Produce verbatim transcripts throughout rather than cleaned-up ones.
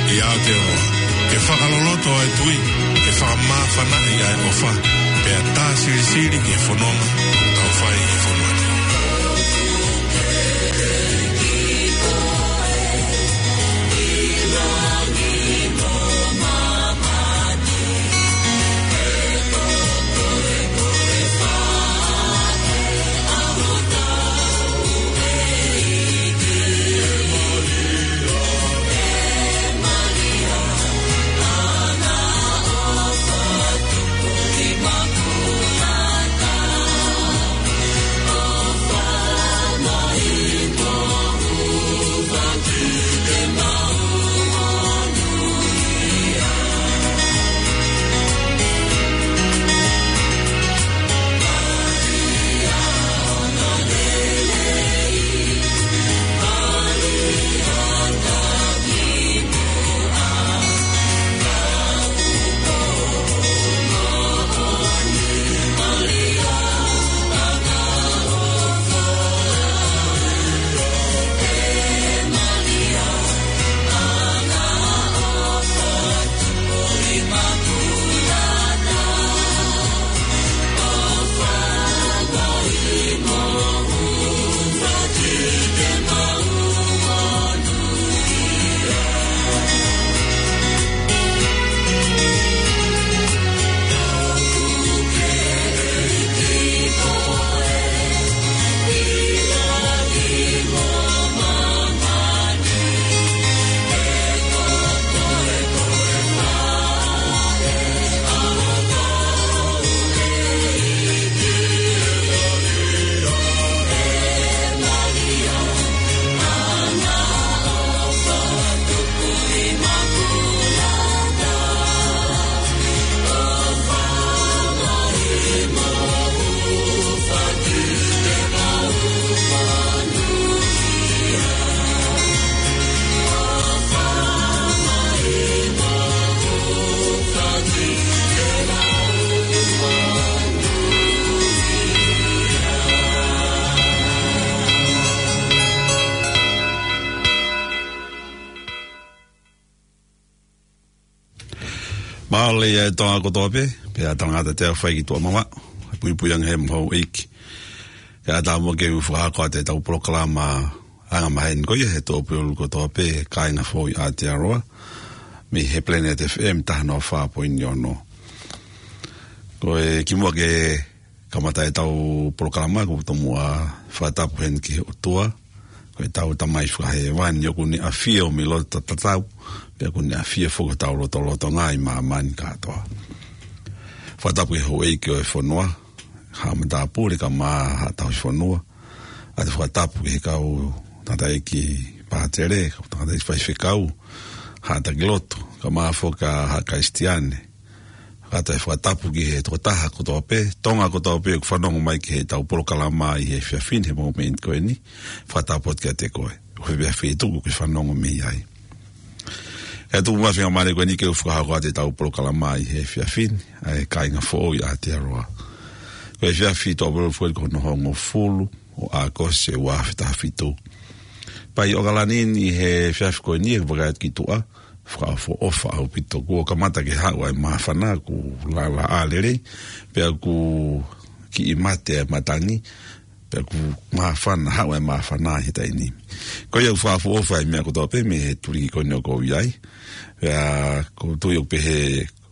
ʻI Aotearoa, ke fakaloloto ʻa e tui, ke fakamāfanaʻi ʻa e ʻofa, pea tā silisili ki he fononga ʻoku tau fai ʻi he fonua ni. Mālō e Tonga kotoa pē, pea tangata te fai ki tuʻa mamaʻo, puipui ange he mo houʻeiki. Kae ʻatā mo ke u fakahoko atu ʻetau polokalama anga maheni ko ia he tō pulu kotoa pē, kāinga foʻou ʻi Aotearoa, mei he Planet F M taha noa fā poini ono. Ko e kimuʻa ke kamata ʻetau polokalama, ʻoku ou tomuʻa fakatapu heni ki he ʻOtua, ko ʻetau Tamai fakahēvani ʻoku ne ʻafio mei loto tatau, pea ʻoku ne ʻafio foki ʻi hotau lotolotonga ʻi māmani kātoa. Fakatapu ki he houʻeiki ʻo e fonua, haʻa matāpule kae ʻumaʻā haʻa tauhi fonua, ʻoatu e fakatapu ki he kau tangataʻeiki pātele, kau tangataʻeiki faifekau, haʻa taki lotu, kae ʻumaʻā foki ʻa e haʻa Kalisitiane, kae ʻoatu e fakatapu ki he tokotaha kotoa pē, Tonga kotoa pē, ʻoku fanongo mai ki heʻetau polokalama ʻi he efiafi ni he momeniti ko eni, fakatapu atu kiate koe. ʻOku ou fiefia ʻi he tuku ke fanongo mai ai. Kae tuku mai e faingamālie ko eni ke u fakahoko atu ʻetau polokalama ʻi he efiafi ni, ʻa e kāinga foʻou ʻi Aotearoa. Ko e efiafi tō pulu foʻou ko hono hongofulu ʻo ʻAokosi ua afe taha fitu. Pea ʻi ʻOkalani ni he efiafi ko eni ʻe vakai atu ki tuʻa, fakaʻofoʻofa ʻaupito. Kuo kamata ke haʻu ʻa e māfana, kuo lālā ʻa lelei, pea kuo kiʻi mate ʻa e matangi, pea kuo māfana, haʻu ʻa e māfana ʻi he taimi ni. Ko ia ʻoku fakaʻofoʻofa ʻa e meʻa kotoa pē mei he tuliki ko eni ʻoku ou ʻi ai. Pea ʻoku ou tui ʻoku pehē,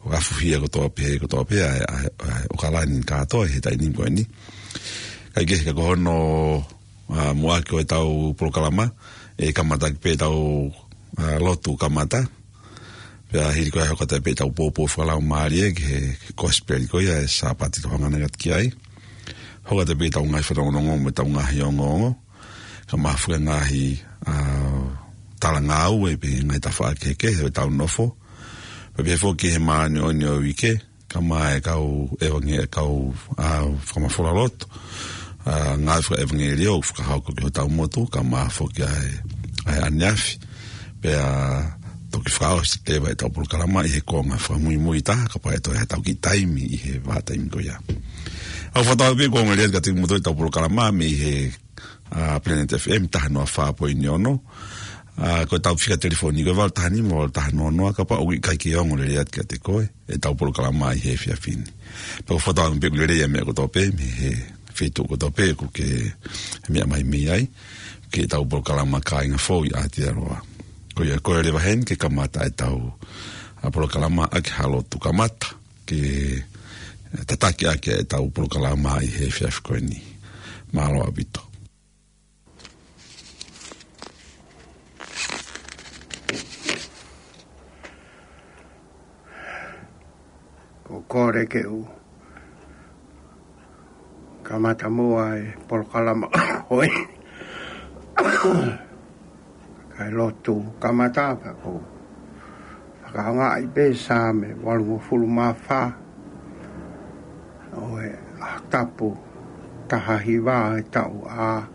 ʻoku afuhia kotoa pē, kotoa pē ʻa e, ʻa e, ʻa e ʻOkalani kātoa ʻi he taimi ko eni. Kae kehe ka ko hono, ʻa, muʻaki ʻo ʻetau polokalama, ʻe kamata pē ʻetau, ʻa, lotu kamata. Pea hili ko ia ʻe hoko atu pē ʻetau pōpoaki fakalaumālie ki he kosipeli ko ia ʻo e Sāpate ʻoku hangē atu ki ai. Hoko atu pē ʻetau ngaahi fanongonongo mo ʻetau ngaahi ongoongo. Kae ʻumaʻā foki e ngaahi, ʻa, talangāue pē ngaahi tafaʻaki kehekehe ʻo ʻetau nofo. Pea pehē foki ki he māʻoniʻoni ʻo e uike, kae ʻumaʻā e kau ʻevangē-, kau, ʻa, fakamafola lotu, ʻa, ngāue fakaʻevangeliō ʻoku fakahoko ki hotau motu, kae ʻumaʻā foki ʻa e, ʻa e ʻaneafi. Pea toki fakaʻosi leva ʻetau polokalama ʻi he konga fakamuimui taha, kapau ʻe toe ʻi ai haʻatau kiʻi taimi ʻi he vahaʻa taimi ko ia. ʻOku ou fakatauange pē ʻoku ongo lelei atu kiate kimoutolu ʻetau polokalama mei he, ʻa, Planet F M taha noa fā poini ono. ʻA, ko ʻetau fika telefoni ko e valu taha nima, valu taha noa noa, kapau ʻoku ʻikai ke ongo lelei atu kiate koe ʻetau polokalama ʻi he efiafi ni. Pea ʻoku fakatauange pē ʻoku lelei ʻa e meʻa kotoa pē mei he feituʻu kotoa pē ʻoku ke meʻa mai mei ai, ki heʻetau polokalama Kāinga Fou ʻi Aotearoa. Ko ia, ko e leva heni ke kamata ʻetau, ʻa, polokalama ʻaki ha lotu kamata, ke tataki ʻaki ʻetau polokalama ʻi he efiafi ko eni. Mālō ʻaupito. Ko e kole ke u kamata muʻa e polokalama ko eni. Kae lotu kamata pea ʻoku ou fakaʻaongaʻi pē Saame valungofulu mā fā ʻo e ʻaho tapu taha hiva ʻo e taʻu A,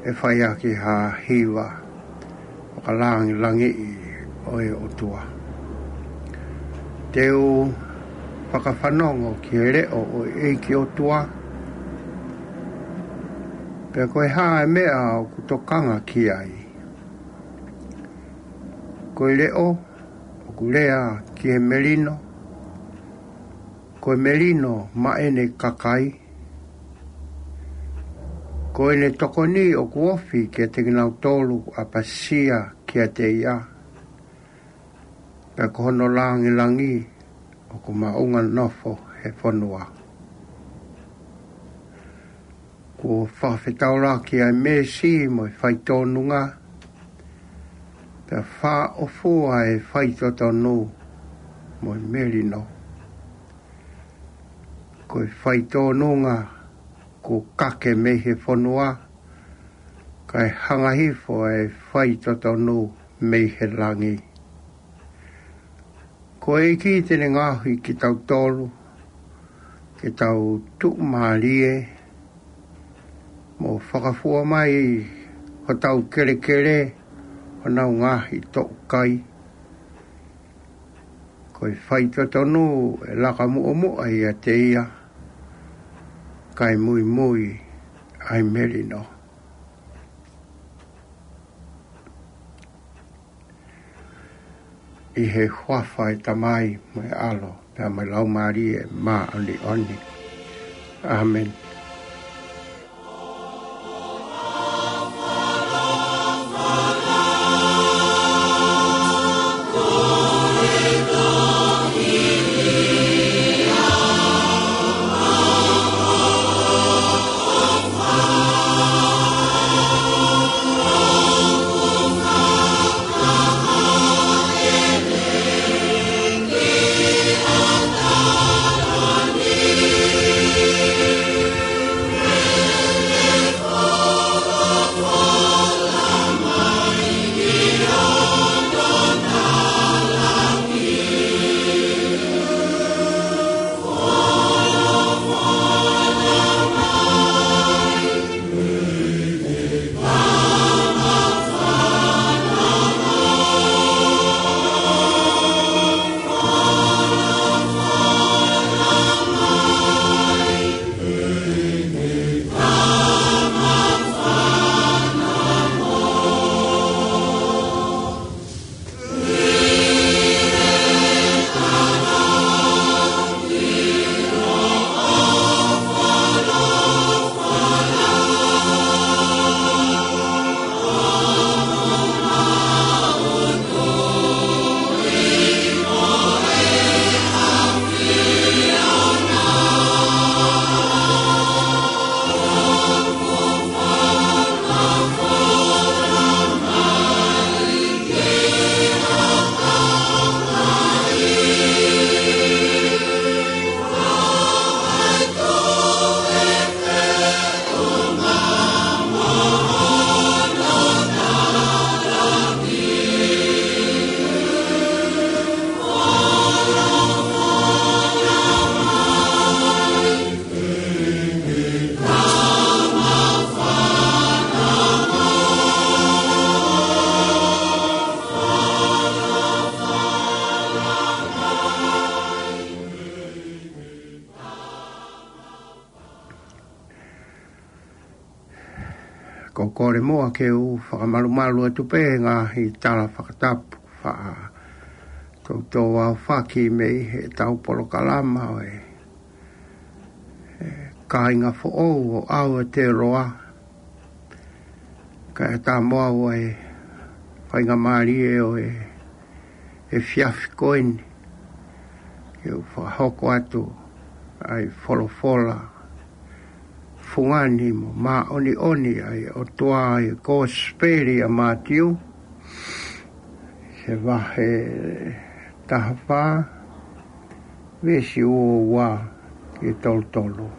ʻe fai ʻaki ha hiva fakalāngilangiʻi ʻo e ʻOtua. Te u fakafanongo ki he leʻo ʻo e ʻEiki ʻOtua, pea ko e hā e meʻa ʻoku tokanga ki ai. Ko e leʻo ʻoku lea ki he melino, ko e melino maʻa ʻene kakai, ko ʻene tokoni ʻoku ofi kiate kinautolu ʻoku ʻapasia kiate ia, pea ko hono lāngilangi ʻoku maʻunga nofo he fonua. Kuo fakafetaulaki ʻa e meesi mo e faitōnunga, pea fāʻofua e faitotonu mo e melino. Ko e faitōnunga kuo kake mei he fonua, kae hanga hifo e faitotonu mei he langi. Ko e ʻEiki te ne ngaohi kitautolu ke tau tuʻumālie mo fakafua mai hotau kelekele, honau ngaahi toʻukai. Ko e faitotonu ʻe laka muʻomuʻa ʻiate ia, kae muimui ʻa e melino. ʻI he huafa ʻo e Tamai mo e ʻAlo pea mo e Laumālie Māʻoniʻoni. ʻĀmeni. Kole muʻa ke u fakamalumalu atu pē he ngaahi tala fakatapu faʻa toutou aofaki mei heʻetau polokalama ʻo e, e kāinga foʻou ʻo Aotearoa. Kae ʻatā mo au ʻa e faingamālie ʻo e efiafi ko eni ke u fakahoko atu ʻa e folofola fungani mo māʻoniʻoni ʻa e ʻOtua ʻi he Kosipeli ʻa Mātiu, he vahe taha fā, veesi ua ua ki he tolu tolu.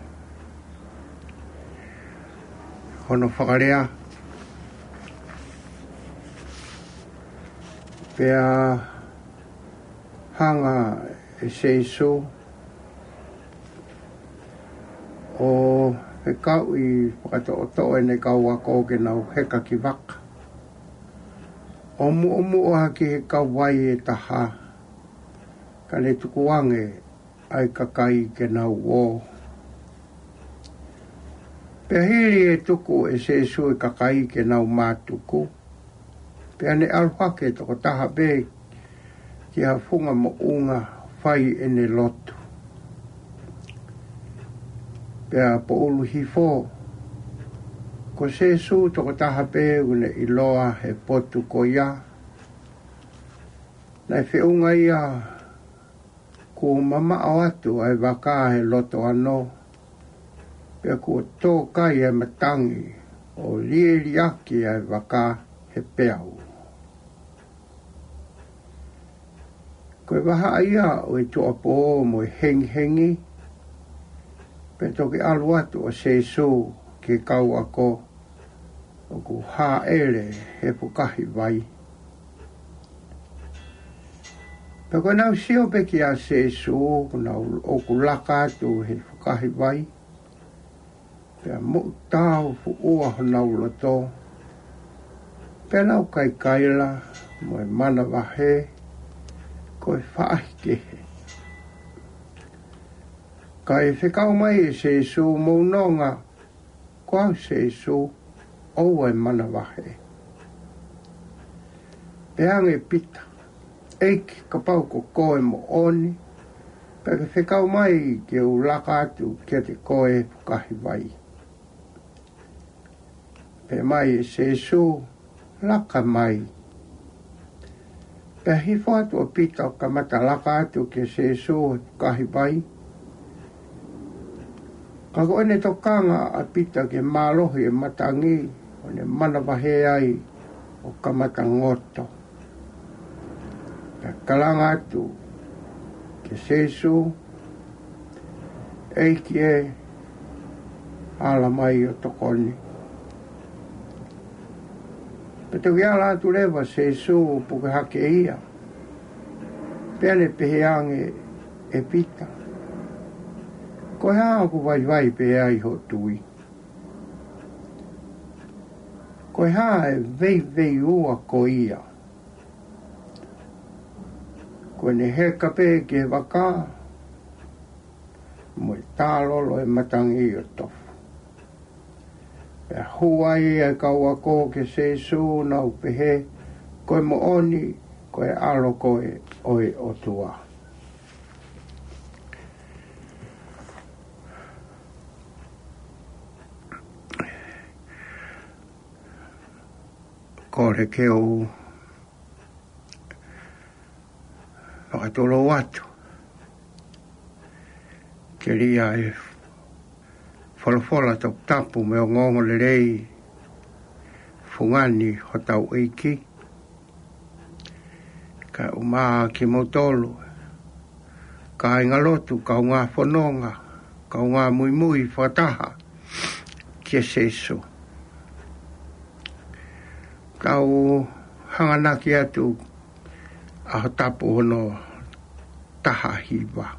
Hono fakalea: Pea hanga ʻe Sīsū ʻo fekauʻi fakatoʻotoʻo ʻene kau ako ke nau heka ki vaka, ʻo muʻomuʻa ki he kauvai ʻe taha, ka ne tukuange ʻa e kakai ke nau ō. Pea hili ʻe tuku ʻe Sīsū e kakai ke nau mātuku, pea ne ʻalu hake tokotaha pē ki ha funga moʻunga fai ʻene lotu. Pea poʻuli hifo, ko Sīsū tokotaha pē ʻoku ne ʻiloa he potu ko ia. Naʻe feʻunga ia kuo mamaʻo atu ʻa e vaka he loto ano, pea kuo tō kai ʻa e matangi ʻo lieliaki ʻa e vaka he peau. Ko e vahaʻa ia ʻo e tuʻuapō mo e hengihengi, pea toki ʻalu atu ʻa Sīsū ki he kau ako ʻoku hāʻele he fukahi vai. Pea ko ʻenau sio pē kia Sīsū ʻoku nau, ʻoku laka atu he fukahi vai, pea moʻutāufuʻua honau loto, pea nau kaikaila mo e manavahē ko e faʻahikehe. Kae fekau mai ʻe Sīsū: Mou nonga, ko au Sīsū, ʻoua ʻe manavahē. Pehē ange ʻe Pita: ʻEiki, kapau ko koe moʻoni, pea ke fekau mai ke u laka atu kiate koe he fukahi vai. Pehē mai ʻe Sīsū: Laka mai. Pea hifo atu ʻa Pita ʻo kamata laka atu kia Sīsū he fukahi vai. Ka ko ʻene tokanga ʻa Pita ki he mālohi ʻo e matangi, ʻo ne manavahē ai ʻo kamata ngoto. Pea kalanga atu kia Sīsū: ʻEiki ē, ala mai ʻo tokoni. Pea toki ala atu leva ʻa Sīsū ʻo puke hake ia. Pea ne pehē ange ʻe Pita: Ko e hā ʻoku vaivai pē ai hoʻo tui? Ko e hā e veiveiua ko ia? Ko ʻene heka pē ki he vaka, mo e tālolo e matangi ʻo tofu. Pea hū ai ʻa e kau ako kia Sīsū, nau pehē: Ko e moʻoni, ko e ʻAlo koe ʻo e ʻOtua. Kole ke u fakatulou atu ke lea ʻa e folofola toputapu mo e ongoongolelei fungani hotau ʻEiki, kae ʻumaʻā kimoutolu, kāingalotu, kaungā fononga, kaungā muimui fakataha kia Sīsū. Tau hanganaki atu ʻaho tapu hono taha hiva.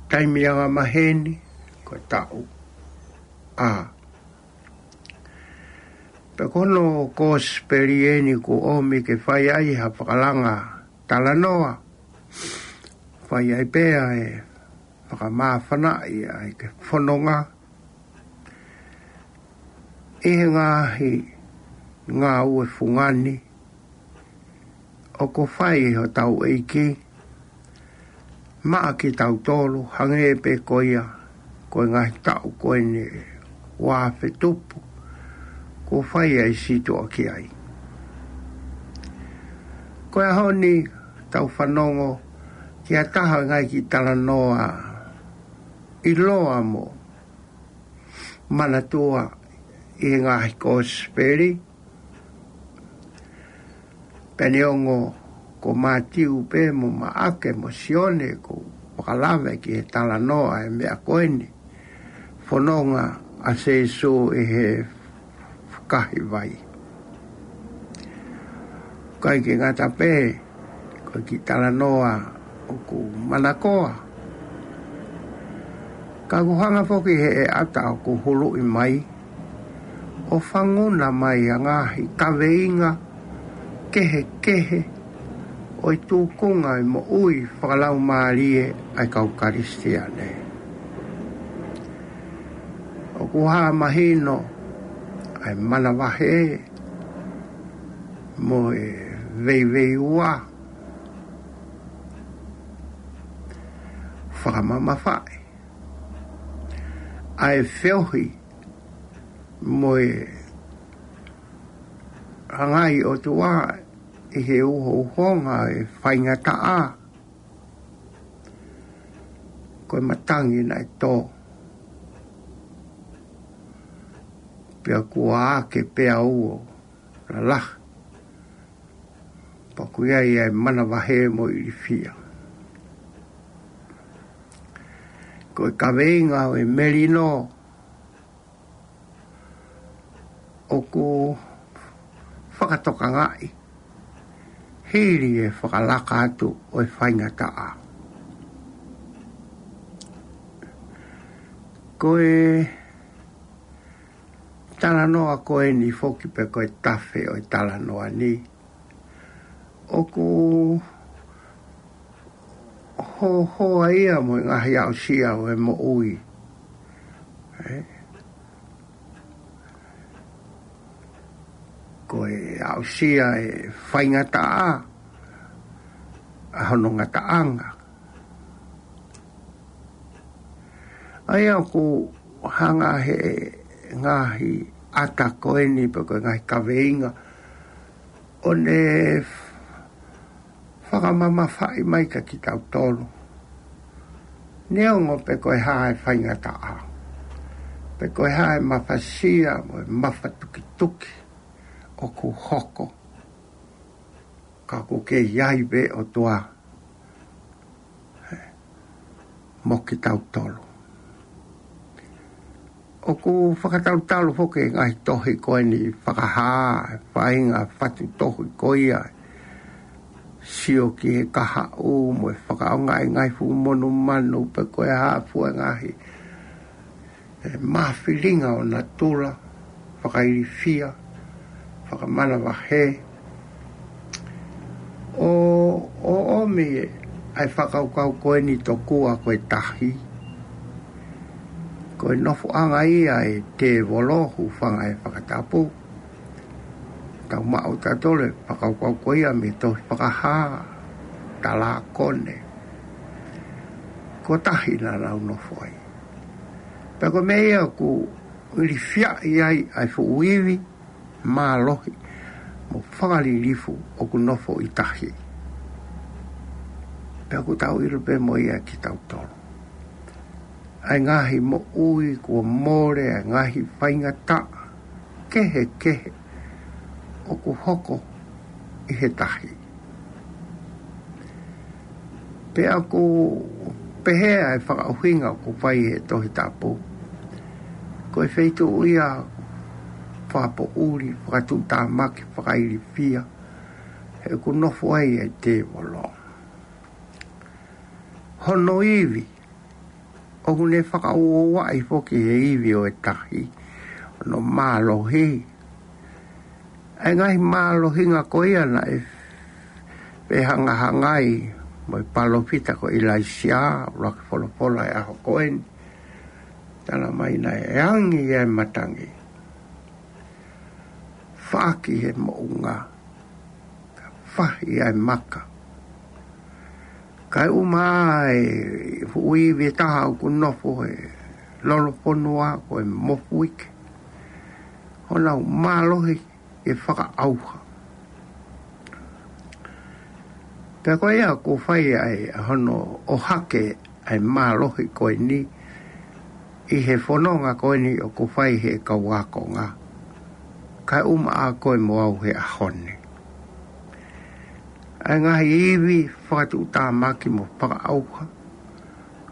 Taimi angamaheni, ko e taʻu A. Pea ko hono kosipeli eni kuo ʻomi ke fai ai ha fakalanga talanoa, fai ai pē ʻa e fakamāfanaʻi ʻa e ke fononga. ʻi he ngaahi ngāue fungani ʻoku fai ʻe hotau ʻEiki maʻa kitautolu, hangē pē ko ia ko e ngaahi taʻu ko eni ʻe uaafe tupu kuo fai ai e sītuʻa ki ai. Ko e ʻaho ni tau fanongo ki ha taha ʻo e ngaahi kiʻi talanoa ʻiloa mo manatua ʻi he ngaahi kosipeli, pea neongo ko Mātiu pē mo Maʻake mo Sione ʻoku fakalave ki he talanoa ʻo e meʻa ko eni, fononga ʻa Sīsū ʻi he fukahi vai. ʻIkai ke ngata pē, ko e kiʻi talanoa ʻoku manakoa, ka ʻoku hanga foki ʻe he ʻata ʻoku huluʻi mai ʻo fanguna mai ʻa e ngaahi kaveinga kehekehe ʻo e tūkunga ʻo e moʻui fakalaumālie ʻa e kau Kalisitiane. ʻOku hā mahino ʻa e manavahē mo e veiveiua, fakamamafaʻi ʻa e feohi mo e ʻangai ʻOtua ʻi he uhouhonga ʻo e faingataʻa. Ko e matangi naʻe tō, pea kuo ake pea ua lalahi, pea ʻoku ʻi ai ʻa e manavahē mo e ilifia. Ko e kaveinga ʻo e melino ʻoku fakatokangaʻi hili e fakalaka atu ʻo e faingataʻa. Ko e talanoa ko eni foki pe ko e tafe ʻo e talanoa ni, ʻoku hohoa ia mo e ngaahi aʻusia ʻo e moʻui. ʻE? Ko e aʻusia e faingataʻa ʻa hono ngataʻanga. ʻA ia ʻoku hanga ʻe he ngaahi ʻata ko eni pe ko e ngaahi kaveinga ʻo ne fakamamafaʻi mai kia kitautolu. Neongo pe ko e hā e faingataʻa, pe ko e hā e mafasia mo e mafatukituki ʻoku hoko, ka ʻoku kei ʻi ai pē ʻOtua mo kitautolu. ʻOku fakatalutalu foki e ngaahi tohi ko eni fakahā, faʻahinga fatu tohi ko ia, sio ki he kahaʻu mo e fakaʻaongaʻi e ngaahi fuʻu monumanu pe ko e hā fua e ngaahi, e, mafilinga ʻo natula, fakailifia, fakamanavahē, ʻo, ʻo ʻomi ʻa e fakakaukau ko eni tokua ko e tahi ko e nofoʻanga ia ʻo e tēvolo, hūfanga he fakatapu. Tau maʻu tautolu e fakakaukau ko ia mei he tohi Fakahā, talākone. Ko e tahi naʻa nau nofo ai. Pea ko e meʻa ia ʻoku ilifiaʻi ai ʻa e fuʻu ivi mālohi mo fakalilifu ʻoku nofo ʻi tahi. Pea ʻoku tau ʻilo pē mo ia kitautolu, ʻa e ngaahi moʻui kuo mole, ʻa e ngaahi faingataʻa kehekehe ʻoku hoko ʻi he tahi. Pea ʻoku pehē ʻa e fakaʻuhinga ʻoku fai ʻe he Tohi Tapu, ko e feituʻu ia fakapoʻuli, fakatuʻutāmaki, fakailifia, he ʻoku nofo ai e tēvolo. Hono ivi, ʻoku ne fakaʻuaʻi foki he ivi ʻo e tahi hono mālohi. ʻA e ngaahi mālohinga ko ia naʻe fehangahangai mo e palōfita ko ʻIlaisiā, ʻuluaki folofola ʻo e ʻaho ko eni. Tala mai naʻe angi ʻa e matangi. paʻaki he moʻunga, fahi ai maka. Kae ʻuma ai fuʻu ivi ʻe taha ʻoku nofo he lolofonua ko e mofuike, honau mālohi ke fakaʻauha. Pea ko ia ʻoku fai ai ʻa hono ʻohake ʻa e mālohi ko eni ʻi he fononga ko eni ʻoku fai he kau ākonga. Kae ʻuma ʻa koe mo au he ʻaho ni. ʻA e ngaahi ivi fakatuʻutāmaki mo fakaʻauha,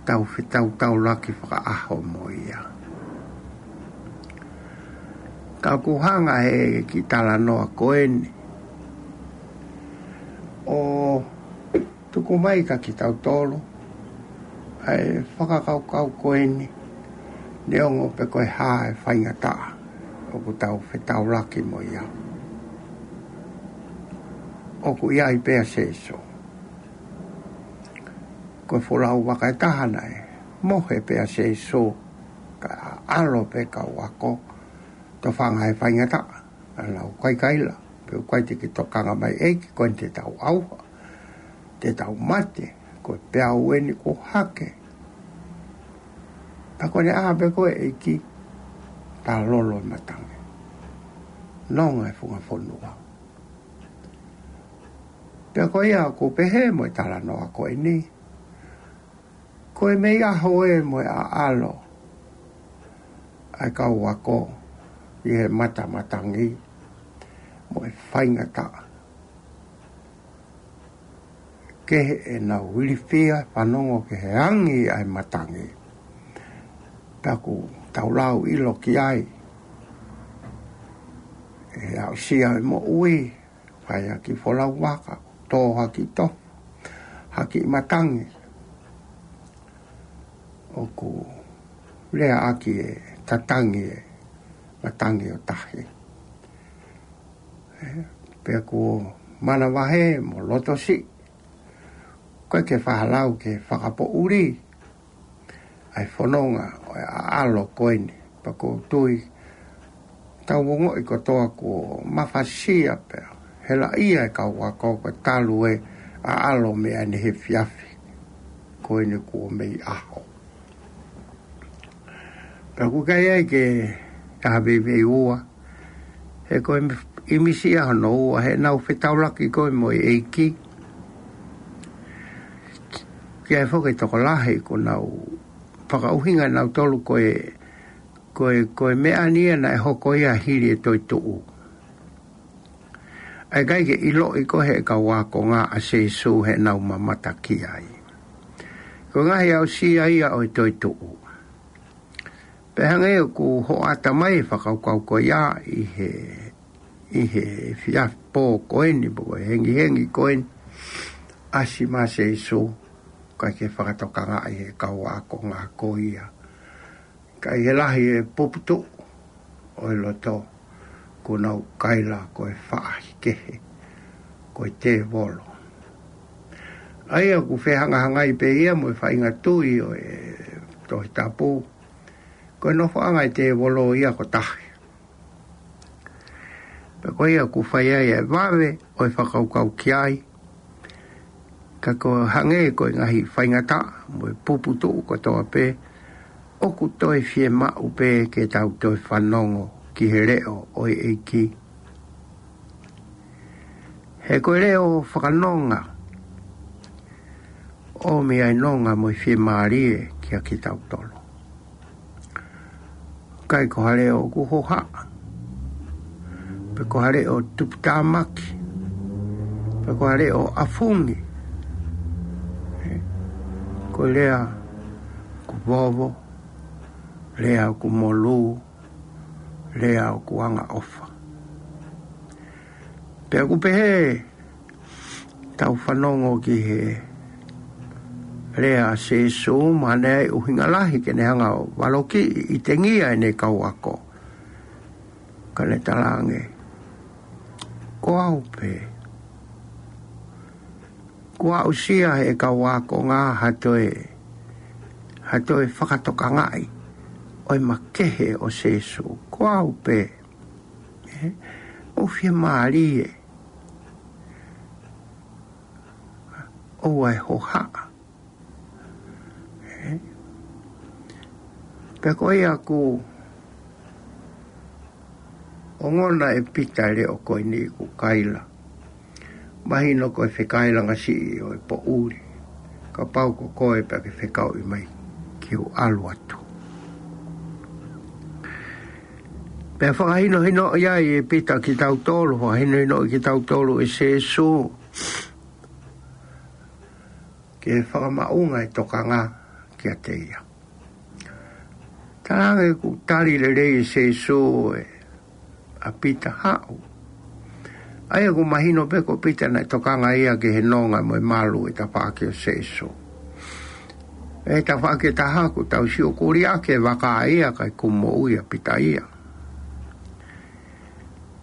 tau fetaulaki fakaʻaho mo ia. Ka ʻoku hanga he kiʻi talanoa ko eni ʻo tuku mai kia kitautolu ʻa e fakakaukau ko eni, neongo pe ko e hā e faingataʻa ʻoku tau fetaulaki mo ia. ʻOku ʻi ai pē ʻa Sēsū. Ko e folau vaka ʻe taha naʻe mohe pē ʻa Sēsū, kae ʻalu pē kau ako, tofanga he faingataʻa, ʻa nau kaikaila, pea ʻoku ʻikai te ke tokanga mai ʻEiki, ko eni te tau ʻauha, te tau mate, ko e peau eni kuo hake. Pea ko ʻene ʻā pē ko ē ʻEiki, tā lolo e matangi. Nonga e funga fonua. Pea ko ia ʻoku pehē mo e talanoa ko eni, ko e mei ʻaho ē mo e ʻaʻalo ʻa e kau ako ʻi he mata matangi mo e faingataʻa. Kehe ʻenau ilifia, fanongo ki he angi ʻa e matangi. Pea ʻoku tau lau ʻilo ki ai, ʻe aʻusia e moʻui, fai ha kiʻi folau vaka, tō ha kiʻi tofu, ha kiʻi matangi. ʻOku lea ʻaki e tatangi e matangi ʻo tahi. Pea kuo manavahē mo loto siʻi, ʻoku ʻikai ke fakalau ke fakapoʻuli ʻa e fononga ʻo e ʻaʻalo ko eni. Pea ʻoku ou tui, tau ongoʻi kotoa kuo mafasia pea helaʻia e kau ako, ko e talu e ʻaʻalo mei ʻanehe efiafi ko eni kuo mei ʻaho. Pea ʻoku ʻikai ai ke ʻi ai ha veiveiua, he ko e ʻimisi ia hono ua, heʻenau fetaulaki ko ē mo e ʻEiki. Ki ai foki e tokolahi ʻoku nau fakaʻuhinga nautolu ko e, ko e, ko e meʻa ni ia naʻe hoko ia hili e toetuʻu. ʻA e ʻikai ke ʻiloʻi ko ē he kau ākonga ʻa Sēsū heʻenau mamata ki ai. Ko e ngaahi aʻusia ia ʻo e toetuʻu. Pea hangē ʻoku hoʻata mai e fakakaukau ko ia ʻi he, ʻi he efiafi pō ko eni, pō ko e hengihengi ko eni, ʻasi mai ʻa Sēsū, ʻikai ke fakatokangaʻi he kau ākonga ko ia. Ka ʻi he lahi e puputuʻu ʻo e loto, kuo nau kaila ko e faʻahikehe, ko e tēvolo. ʻA ia ʻoku fehangahangai pē ia mo e faʻahinga tui ʻo e Tohi Tapu, ko e nofoʻanga e tēvolo ia ko tahi. Pea ko ia ʻoku fai ai e vave ʻo e fakakaukau ki ai, ka ko e hangē ko e ngaahi faingataʻa mo e puputuʻu kotoa pē, ʻoku toe fiemaʻu pē ke tau toe fanongo ki he leʻo ʻo e ʻEiki. He ko e leʻo fakanonga, ʻomi ai nonga mo e fiemālie kia kitautolu. ʻIkai ko ha leʻo ʻoku hohaʻa, pe ko ha leʻo tuputāmaki, pe ko ha leʻo ʻafungi. Ko e lea ʻoku vovo, lea ʻoku molū, lea ʻoku angaʻofa. Pea ʻoku pehē, tau fanongo ki he lea ʻa Sēsū, mahalo ʻe ʻuhinga lahi ke ne hanga ʻo valokiʻi ʻi tengia ʻene kau ako. Ka ne talaange, ko au pē. Kuo aʻusia he kau ākonga ha toe, ha toe fakatokangaʻi ʻo e makehe ʻo Sēsū. Ko au pē. ʻE, ʻOku fiemālie. ʻOua ʻe hohaʻa. Ē? Pea ko ia ʻoku ongona ʻe Pita e leʻo ko eni ʻoku kaila. Mahino ko e fekailanga siʻi ʻo e poʻuli. Kapau ko koe pea ke fekauʻi mai ke u ʻalu atu. Pea fakahinohinoʻi ai ʻe Pita kitautolu, fakahinohinoʻi kitautolu ʻe Sīsū ke fakamaʻunga e tokanga kiate ia. Talaange ʻoku tali lelei ʻe Sīsū ʻa Pita, haʻu. ʻA ia ʻoku mahino pē ko Pita naʻe tokanga ia ki he nonga mo e malu ʻo e tafaʻaki ʻo Sīsū. ʻI he tafaʻaki ʻe taha ʻoku tau sio ʻoku liʻaki e vaka ia kae ʻikai ke moʻui ʻa Pita ia.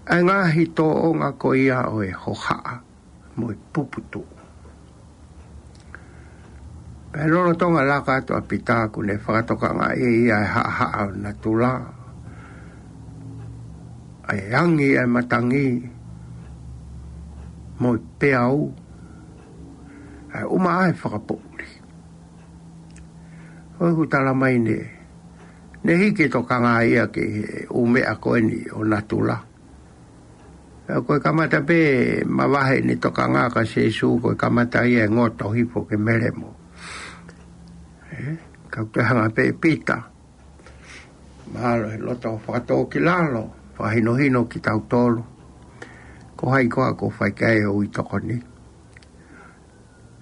ʻA e ngaahi tōʻonga ko ia ʻo e hohaʻa mo e puputuʻu. Pea lolotonga laka atu ʻa Pita ʻoku ne fakatokangaʻi ʻe ia e haʻahaʻa ʻo natula, ʻa e angi, ʻa e matangi, mo e peau, ʻa e ʻumaʻā e fakapoʻuli. ʻOku tala mai ne, ne hiki e tokanga ia ki he ʻū meʻa ko eni ʻo natula. Pea ko e kamata pē mavahe ʻene tokanga kia Sīsū, ko e kamata ia e ngoto hifo ke melemo. Ē, ka ʻoku toe hanga pē ʻe Pita, mahalo he loto fakatōkilalo, fakahinohino kitautolu. Ko hai koā ʻoku fai ki ai e ui tokoni?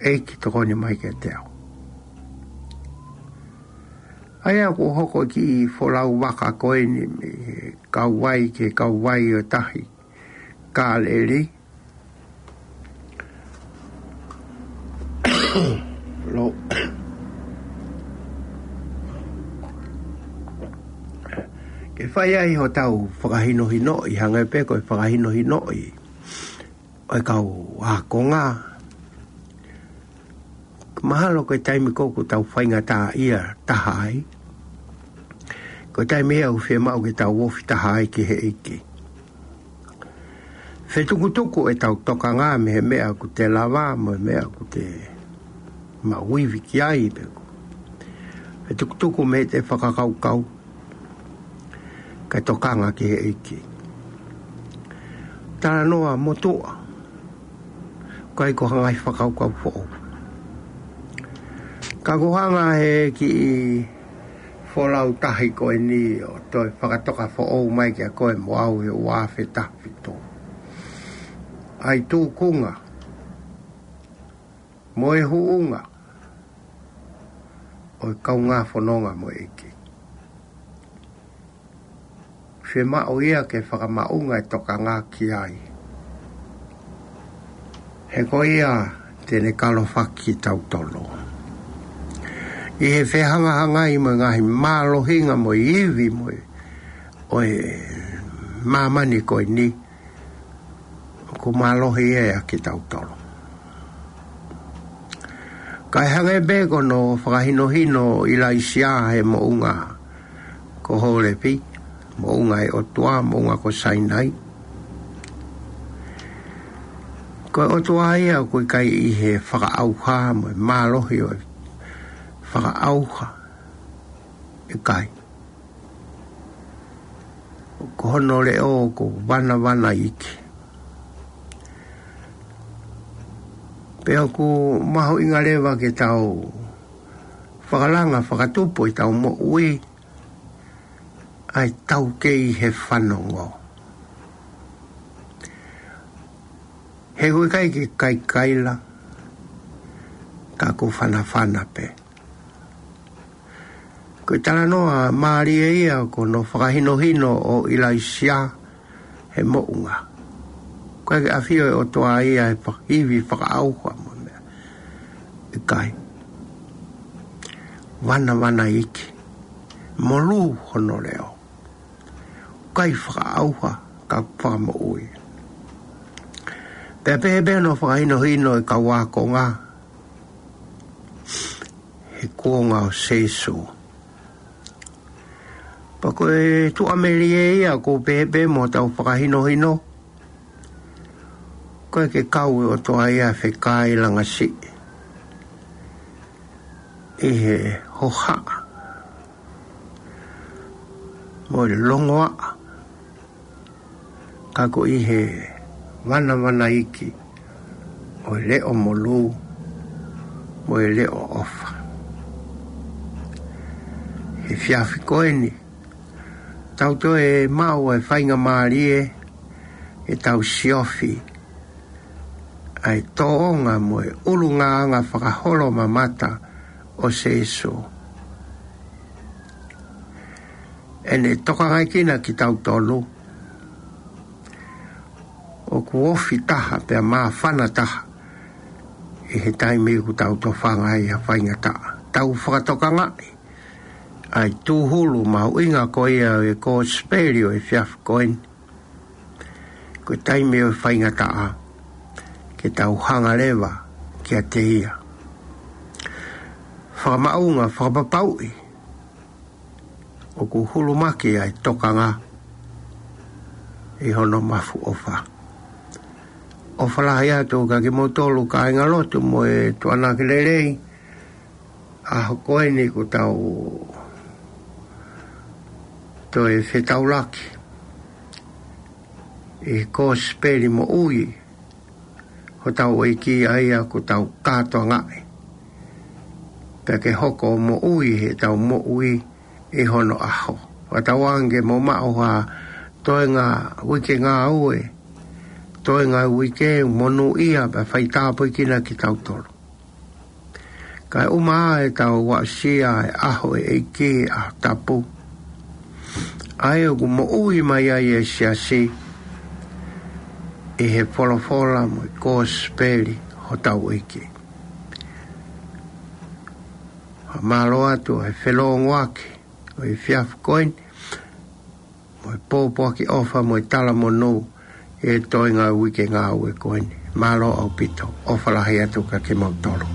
ʻEiki, tokoni mai kiate au. ʻA ia ʻoku hoko e kiʻi folau vaka ko eni mei he kauvai ki he kauvai ʻo e tahi Kāleli. Lo. Ke fai ai hotau fakahinohinoʻi, hangē pē ko e fakahinohinoʻi ʻo e kau ākonga. Mahalo ko e taimi ko ē ʻoku tau faingataʻaʻia taha ai, ko e taimi ia ʻoku fiemaʻu ke tau ofi taha ai ki he ʻEiki. Fetukutuku ʻetau tokanga mei he meʻa ʻoku te lava mo e meʻa ʻoku te maʻu ivi ki ai, pe ko e fetukutuku mei heʻete fakakaukau kae tokanga ki he ʻEiki. Talanoa motuʻa, ʻikai ko ha ngaahi fakakaukau foʻou. Ka ʻoku hanga he kiʻi folau tahi ko eni ʻo toe fakatoka foʻou mai kiate koe mo au he ua afe taha fitu, ʻa e tūkunga mo e huʻunga ʻo e kaungā fononga mo e ʻEiki. Fiemaʻu ia ke fakamaʻunga e tokanga ki ai. He ko ia te ne kalofaki kitautolu ʻi he fehangahangai mo e ngaahi mālohinga mo e ivi mo e, ʻo e māmani ko eni, ʻoku mālohi ia ʻia kitautolu. Kae hangē pē ko hono fakahinohino ʻo ʻIlaisiā he moʻunga ko Holepi, moʻunga ʻo e ʻOtua, moʻunga ko Sainai. Ko e ʻOtua ia ʻoku ʻikai ʻi he fakaʻauha mo e mālohi ʻo e fakaʻauha, ʻikai. Ko hono leʻo ʻoku vanavanaiki. Pea ʻoku mahuʻinga leva ke tau fakalanga fakatupu ʻi heʻetau moʻui ʻa e taukei he fanongo. He ʻoku ʻikai ke kaikaila, ka ʻoku fanafana pē. Ko e talanoa mālie ia ko hono fakahinohino ʻo ʻIlaisiā he moʻunga. ʻIkai ke ʻafio e ʻOtua ia he fa-, ivi fakaʻauha mo e meʻa. ʻIkai. Vanavanaiki. Molū hono leʻo. ʻIkai fakaʻauha ka fakamoʻui. Pea pehē pē hono fakahinohino e kau ākonga he kuonga ʻo Sīsū. Pea ko e tuʻamelie ia ʻoku pehē pē mo hotau fakahinohino, ʻoku ʻikai ke kau ʻe he ʻOtua ia ʻa e fekāilanga siʻi ʻi he hohaʻa mo e longoaʻa, ka ko e ʻi he vanavanaiki ʻo e leʻo molū mo e leʻo ʻofa. He efiafi ko eni, tau toe maʻu e faingamālie ke tau siofi ʻa e tōʻonga mo e ʻulungaanga fakaholomamata ʻo Sīsū. ʻEne tokangaʻi kinautolu ʻoku ofi taha pea māfana taha ʻi he taimi ʻoku tau tofanga ai ʻa e faingataʻa. Tau fakatokangaʻi ʻa e tūhulu mahuʻinga ko ia ʻo e kosipeli ʻo e efiafi ko eni. Ko e taimi ʻo e faingataʻa ke tau hanga leva kiate ia. Fakamaʻunga, fakapapauʻi ʻoku hulumaki ʻa e tokanga ʻi hono mafu ʻofa. ʻOfa lahi atu kiate kimoutolu kāingalotu mo e tuʻuaki lelei, ʻaho ko eni ʻoku tau toe fetaulaki ʻi he kosipeli moʻui hotau ʻEiki, ʻa ia ʻoku tau kātoangaʻi pea ke hoko ʻo moʻui heʻetau moʻui ʻi hono ʻaho. Fakatauange ke mou maʻu ha toenga uike ngāue, toenga uike monūʻia pea faitāpuekina kitautolu. Kae ʻumaʻā ʻetau aʻusia e ʻaho ʻo e ʻEiki, ʻaho tapu, ʻa ia ʻoku moʻui mai ai e siasi ʻi he folofola mo e kosipeli hotau ʻEiki. Fakamālō atu ʻa e felōngoaki ʻo e efiafi ko eni mo e pōpoaki ʻofa mo e talamonū ʻi he toenga uike ngāue ko eni. Mālō ʻaupito, ʻofa lahi atu kiate kimoutolu.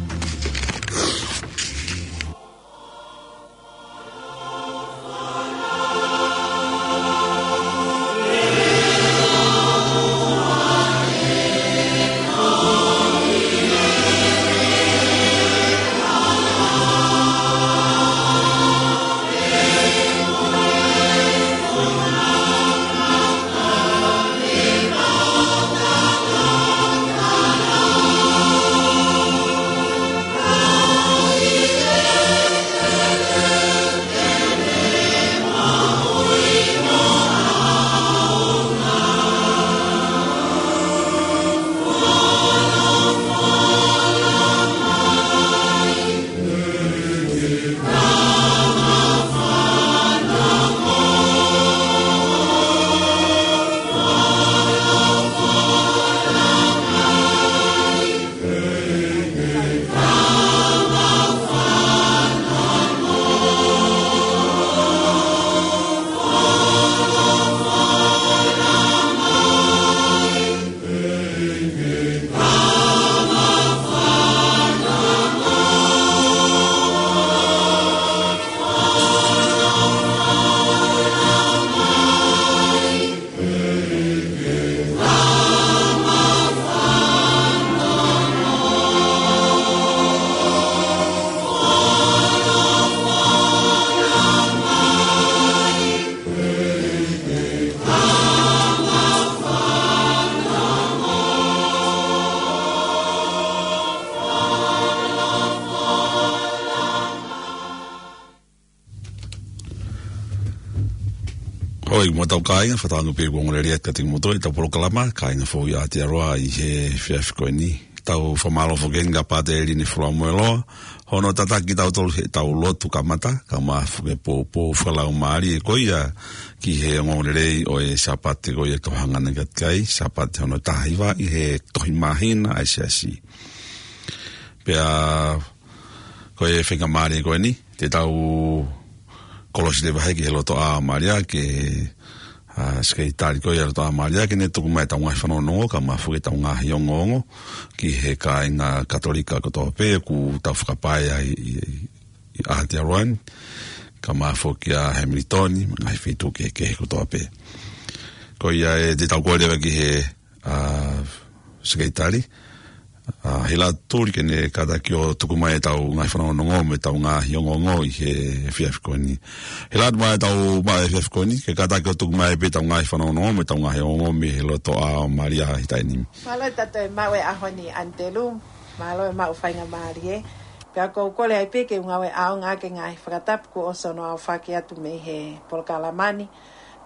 ʻOi, mo tau kāinga, fakatauange pē kuo ongo lelei atu kiate kimoutolu ʻetau polokalama, Kāinga Foʻou ʻi Aotearoa ʻi he efiafi ko eni. Tau fakamālō foki heni kia Pātele Lini Fulamoeloa, hono tataki kitautolu heʻetau lotu kamata, kae ʻumaʻā foki e poupou fakalaumālie ko ia ki he ongoongolelei ʻo e Sāpate ko ia ʻoku tau hanga ʻaki ai, Sāpate hono taha hiva ʻi he tohi māhina ʻa e Siasi. Pea ko e faingamālie ko eni, te tau kolosi leva hake he lotoʻā Malia ke, ʻa, Sekelitali ko ia lotoʻā Malia ke ne tuku mai ʻetau ngaahi fanongonongo, kae ʻumaʻā foki ʻetau ngaahi ongoongo ki he kāinga Katolika kotoa pē ʻoku tau fakapae ai ʻi, ʻi, ʻi Aotearoa ni, kae ʻumaʻā foki ʻa Hamilton, mo e ngaahi feituʻu kehekehe kotoa pē. Ko ia ē te tau kole leva ki he, ʻa, Sekelitali, ʻa Hilatu Tuli, ke ne kātaki ʻo tuku mai ʻetau ngaahi fanongonongo mo ʻetau ngaahi ongoongo ʻi he efiafi ko eni. Hilatu, maʻa ʻetau maʻu efiafi ko eni, ke kātaki ʻo tuku mai pē ʻetau ngaahi fanongonongo mo ʻetau ngaahi ongoongo mei he lotoʻā ʻo Malia ʻi he taimi ni. Mālō e tatou maʻu e ʻaho ni, ʻAnitelū. Mālō e maʻu faingamālie. Pea ʻoku ou kole ai pē ke u ngāue ʻaonga ʻaki e ngaahi fakatapu kuo ʻosi hono aofaki atu mei he polokalama ni,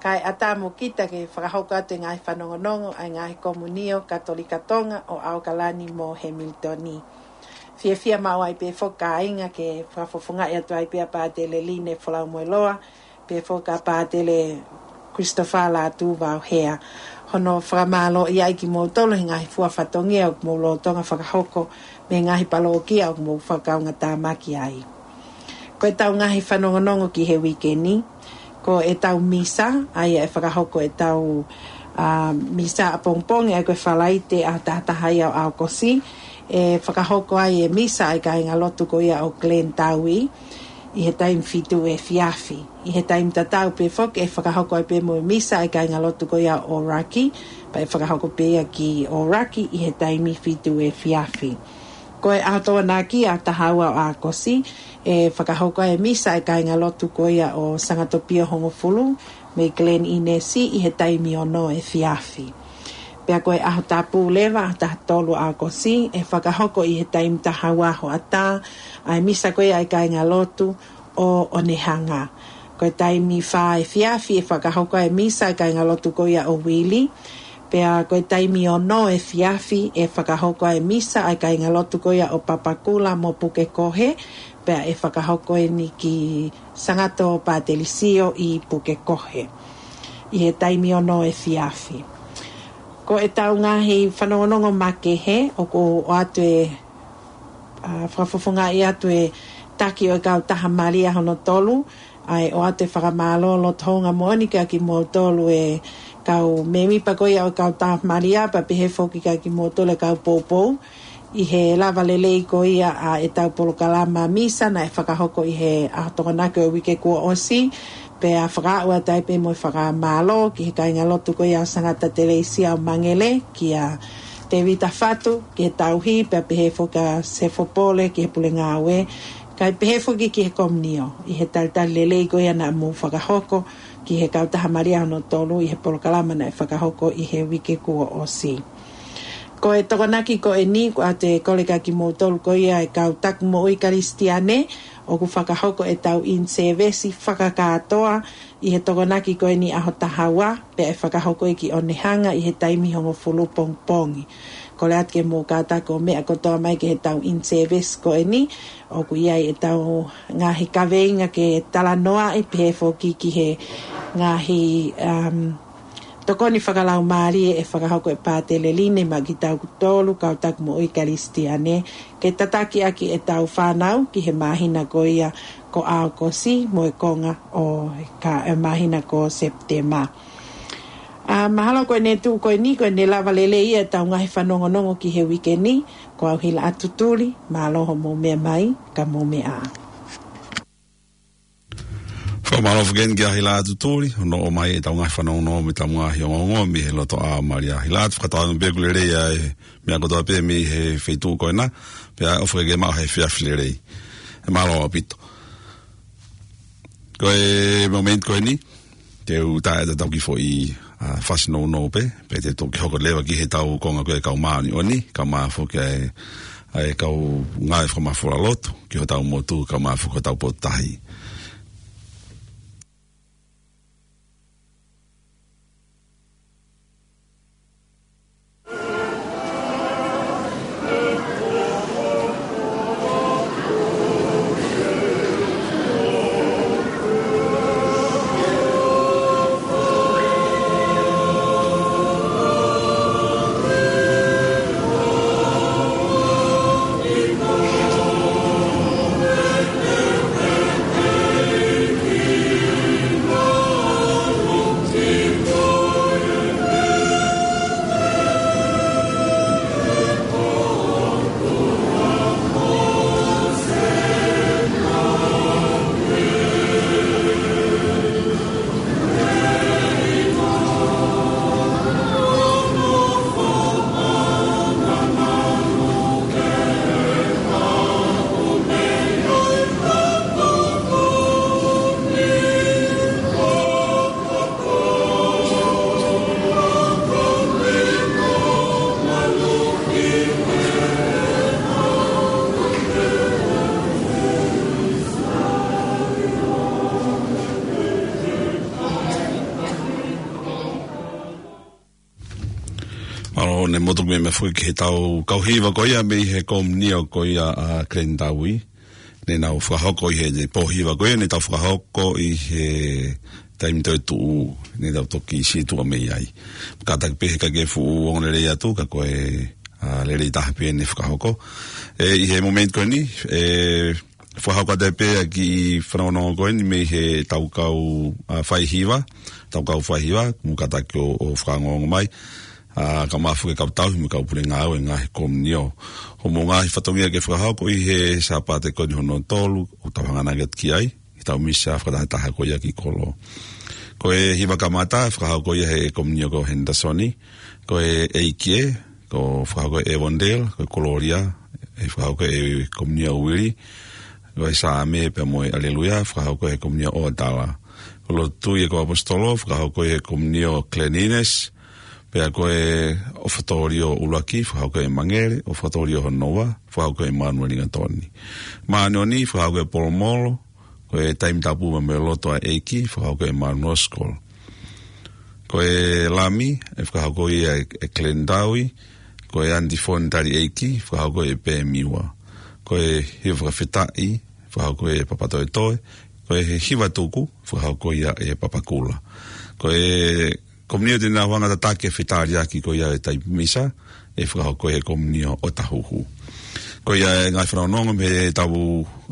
kae ʻatā mo kita ke fakahoko atu e ngaahi fanongonongo ʻa e ngaahi komunio Katolika Tonga ʻo ʻAokalani mo Hemilitoni. Fiefia maʻu ai pē foki kāinga ke fakafofongaʻi atu ai pē ʻa Pātele Line Folaumueloa, pehē foki ʻa Pātele Christopher Lātū Vauhea. Hono fakamālō ia ʻi kimoutolu he ngaahi fua fatongia ʻoku mou lolotonga fakahoko mei he ngaahi palōkia ʻoku mou fakakaungātāmaki ai. Ko ʻetau ngaahi fanongonongo ki he uike ni, ko ʻetau misa, ʻa ia ʻe fakahoko ʻetau, ʻa, misa ʻapongipongi, ʻa ia ko e Falaite ʻaho taha taha ia ʻo ʻAokosi, ʻe fakahoko ai e misa ʻa e kāingalotu ko ia ʻo Glen Taui, ʻi he taimi fitu efiafi. ʻI he taimi tatau pē foki ʻe fakahoko ai pē mo e misa ʻa e kāingalotu ko ia ʻo ʻŌlaki, pea ʻe fakahoko pē ia ki ʻŌlaki ʻi he taimi fitu efiafi. Ko e ʻaho Tokonaki ʻaho taha ua ʻo ʻAokosi, ʻe fakahoko ai e misa ʻa e kāingalotu ko ia ʻo Sangatopio Hongofulu mei Glen Innes ʻi he taimi ono efiafi. Pea ko e ʻaho Tapu leva, ʻaho taha tolu ʻo ʻAokosi, ʻe fakahoko ʻi he taimi taha ua hoʻatā ʻa e misa ko ia ʻa e kāingalotu ʻo ʻOnehanga. Ko e taimi fā efiafi ʻe fakahoko ai e misa ʻa e kāingalotu ko ia ʻo Vili. Pea ko e taimi ono efiafi ʻe fakahoko ai e misa ʻa e kāingalotu ko ia ʻo Papakura mo Pukekohe. Pea ʻe fakahoko eni ki Sangato Pātelisiō ʻi Pukekohe ʻi he taimi ono efiafi. Ko ʻetau ngaahi fanongonongo makehe, ʻoku ʻoatu e, ʻa, fakafofongaʻi atu e taki ʻo e kautaha Malia hono tolu, ʻa e ʻoatu e fakamālō loto hounga moʻoni kia kimoutolu e kau mēmipa ko ia ʻo e kautaha Malia, pea pehē foki kia kimoutolu e kau poupou, ʻi he lava lelei ko ia ʻa ʻetau polokalama misa naʻe fakahoko ʻi he ʻaho Tokonaki ʻo e uike kuo ʻosi, pea fakaaʻu atu ai pē mo e fakamālō ki he kāingalotu ko ia ʻo Sangata Teleisia ʻo Mangele, kia Tēvita Fatu ki he tauhi, pea pehē foki kia Sefo Pole ki he pule ngāue, kae pehē foki ki he komunio, ʻi he talitali lelei ko ia naʻa mou fakahoko ki he kautaha Malia hono tolu ʻi he polokalama naʻe fakahoko ʻi he uike kuo ʻosi. Ko e Tokonaki ko eni, ʻoku ʻoatu e kole kia kimoutolu ko ia e kau taki moʻui Kalisitiane, ʻoku fakahoko ʻetau in-service fakakātoa ʻi he Tokonaki ko eni ʻaho taha ua, pea ʻe fakahoko ia ki ʻOnehanga ʻi he taimi hongofulu pongipongi. Kole atu ke mou kātaki ʻo meʻa kotoa mai ki heʻetau in-service ko eni, ʻoku ʻi ai ʻetau ngaahi kaveinga ke talanoaʻi, pehē foki ki he ngaahi, um, tokoni fakalaumālie ʻe fakahoko ʻe Pātele Line maʻa kitautolu kau taki moʻui Kalisitiane, ke tataki ʻaki ʻetau fānau ki he māhina ko ia ko ʻAokosi mo e konga ʻo e ka-, e māhina ko Sepitema. ʻA, mahalo ko ʻene tuʻu ko eni, ko ʻene lava lelei ia ʻetau ngaahi fanongonongo ki he uike ni, ko au Hilaʻatu Tuli, mālō hoʻomou meʻa mai, ka mou meʻa ā. Fakamālō foki eni kia Hilaʻatu Tuli, hono ʻomai ʻetau ngaahi fanongonongo mo ʻetau ngaahi ongoongo mei he lotoʻā ʻo Malia. Hilaʻatu, fakatauange pē ʻoku lelei ʻa e meʻa kotoa pē mei he feituʻu ko ena, pea ʻofa ke ke maʻu ha efiafi lelei. ʻE mālō ʻaupito. Ko e momenti ko eni, te u tā ʻetau kiʻi foʻi, ʻa, fasi nounou pē, pea te u toki hoko leva ki heʻetau konga ko e kau māʻoniʻoni, kae ʻumaʻā foki ʻa e, ʻa e kau ngāue fakamafola lotu ki hotau motu, kae ʻumaʻā foki hotau potutahi. Mo tuku meʻa mai foki ki he tau kau hiva ko ia mei he komunio ko ia ʻa Glendower. Ne nau fakahoko ʻi he pō hiva ko ia, ne tau fakahoko ʻi he taimi toetuʻu, ne tau toki sītuʻa mei ai. Kātaki pē he ʻikai ke fuʻu ongo lelei atu, ka ko e, ʻa, lelei taha pē ne fakahoko. ʻE, ʻi he momeniti ko eni, ʻe, fakahoko atu pē ʻa e kiʻi fanongonongo ko eni mei he tau kau, ʻa, faihiva, tau kau faihiva, mo kātaki ʻo, ʻo fakaongoongo mai. ʻA, ka mafu ke kau tauhi mo e kau pule ngāue ngaahi komunio. Hoʻomou ngaahi fatongia ke fakahoko ʻi he Sāpate ko eni hono tolu, ʻoku tau hanga ange ki ai, ʻi he tau misa fakatahataha ko ia ki kolo. Ko e hiva kamata, fakahoko ia he komunio ko Henderson, ko e ʻEiki ē, ko e fakahoko ʻe Evondale, ko e Kololia, ʻe fakahoko ʻe komunio Uili, ko e Saame pea mo e Aleluia, fakahoko ʻe komunio ʻOtala. Ko e Lotu ʻa e kau ʻAposetolo, fakahoko ʻe komunio Glen Innes, pea ko e ʻOfatālio ʻUluaki, fakahoko ʻe Mangele, ʻOfatālio hono ua, fakahoko ʻe Manuel Lingatoni. Māʻoniʻoni, fakahoko ʻe Polomolo, ko e Taimi Tapu mo e Loto ʻa e ʻEiki, fakahoko ʻe Manuel Oskol. Ko e Lami, ʻe fakahoko ia ʻe, ʻe Glendower, ko e Antiphon Tali ʻEiki, fakahoko ʻe Pē Miua. Ko e Hiva Fakafetaʻi, fakahoko ʻe Papatoetoe, ko e Hiva Tuku, fakahoko ia ʻe Papakula. Ko e komunio te nau hanga tataki e fetaliaki ko ia e taimi misa, ʻe fakahoko ʻe he komunio ʻOtahuhu. Ko ia e ngaahi fanongonongo mei he tau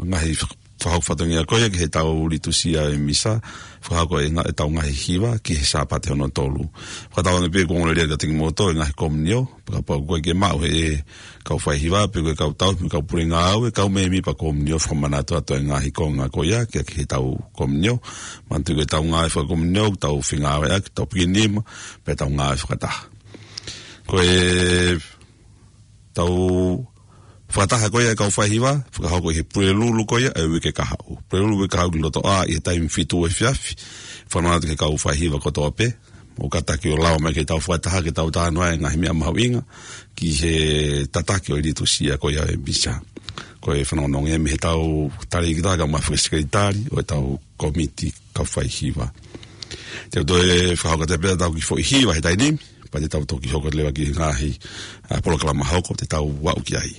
ngaahi fakahoko fatongia ko ia ki he tau litusia e misa, fakahoko e nga-, e tau ngaahi hiva ki he Sāpate hono tolu. Fakatauange pē kuo ongo lelei atu kiate kimoutolu e ngaahi komunio, pea kapau ʻoku ʻikai ke maʻu ʻe he kau faihiva, pe ko e kau tauhi mo e kau pule ngāue, kau mēmipa komunio, fakamanatu atu e ngaahi konga ko ia ki, ki he tau komunio. Manatuʻi ko e tau ngāue fakakomunio, tau fengāueʻaki, tau pikinima, pea tau ngāue fakataha. Ko e tau fakataha ko ia e kau faihiva, fakahoko ʻi he Pulelulu ko ia e uike kahaʻu. Pulelulu uike kahaʻu ki loto ʻā ʻi he taimi fitu efiafi, fakamanatu ki he kau faihiva kotoa pē, ʻo kātaki ʻo lava mai ke tau fakataha ke tau talanoa e ngaahi meʻa mahuʻinga ki he tataki ʻo e litusia ko ia e misa. Ko e fanongonongo ia mei he tau tali ki taka ma fue sekelitali ʻo e tau kōmiti kau faihiva. Te u toe fakahoko atu pē ʻetau kiʻi foʻi hiva he taimi ni, pea te tau toki hoko leva ki he ngaahi, ʻa, polokalama hoko te tau aʻu ki ai.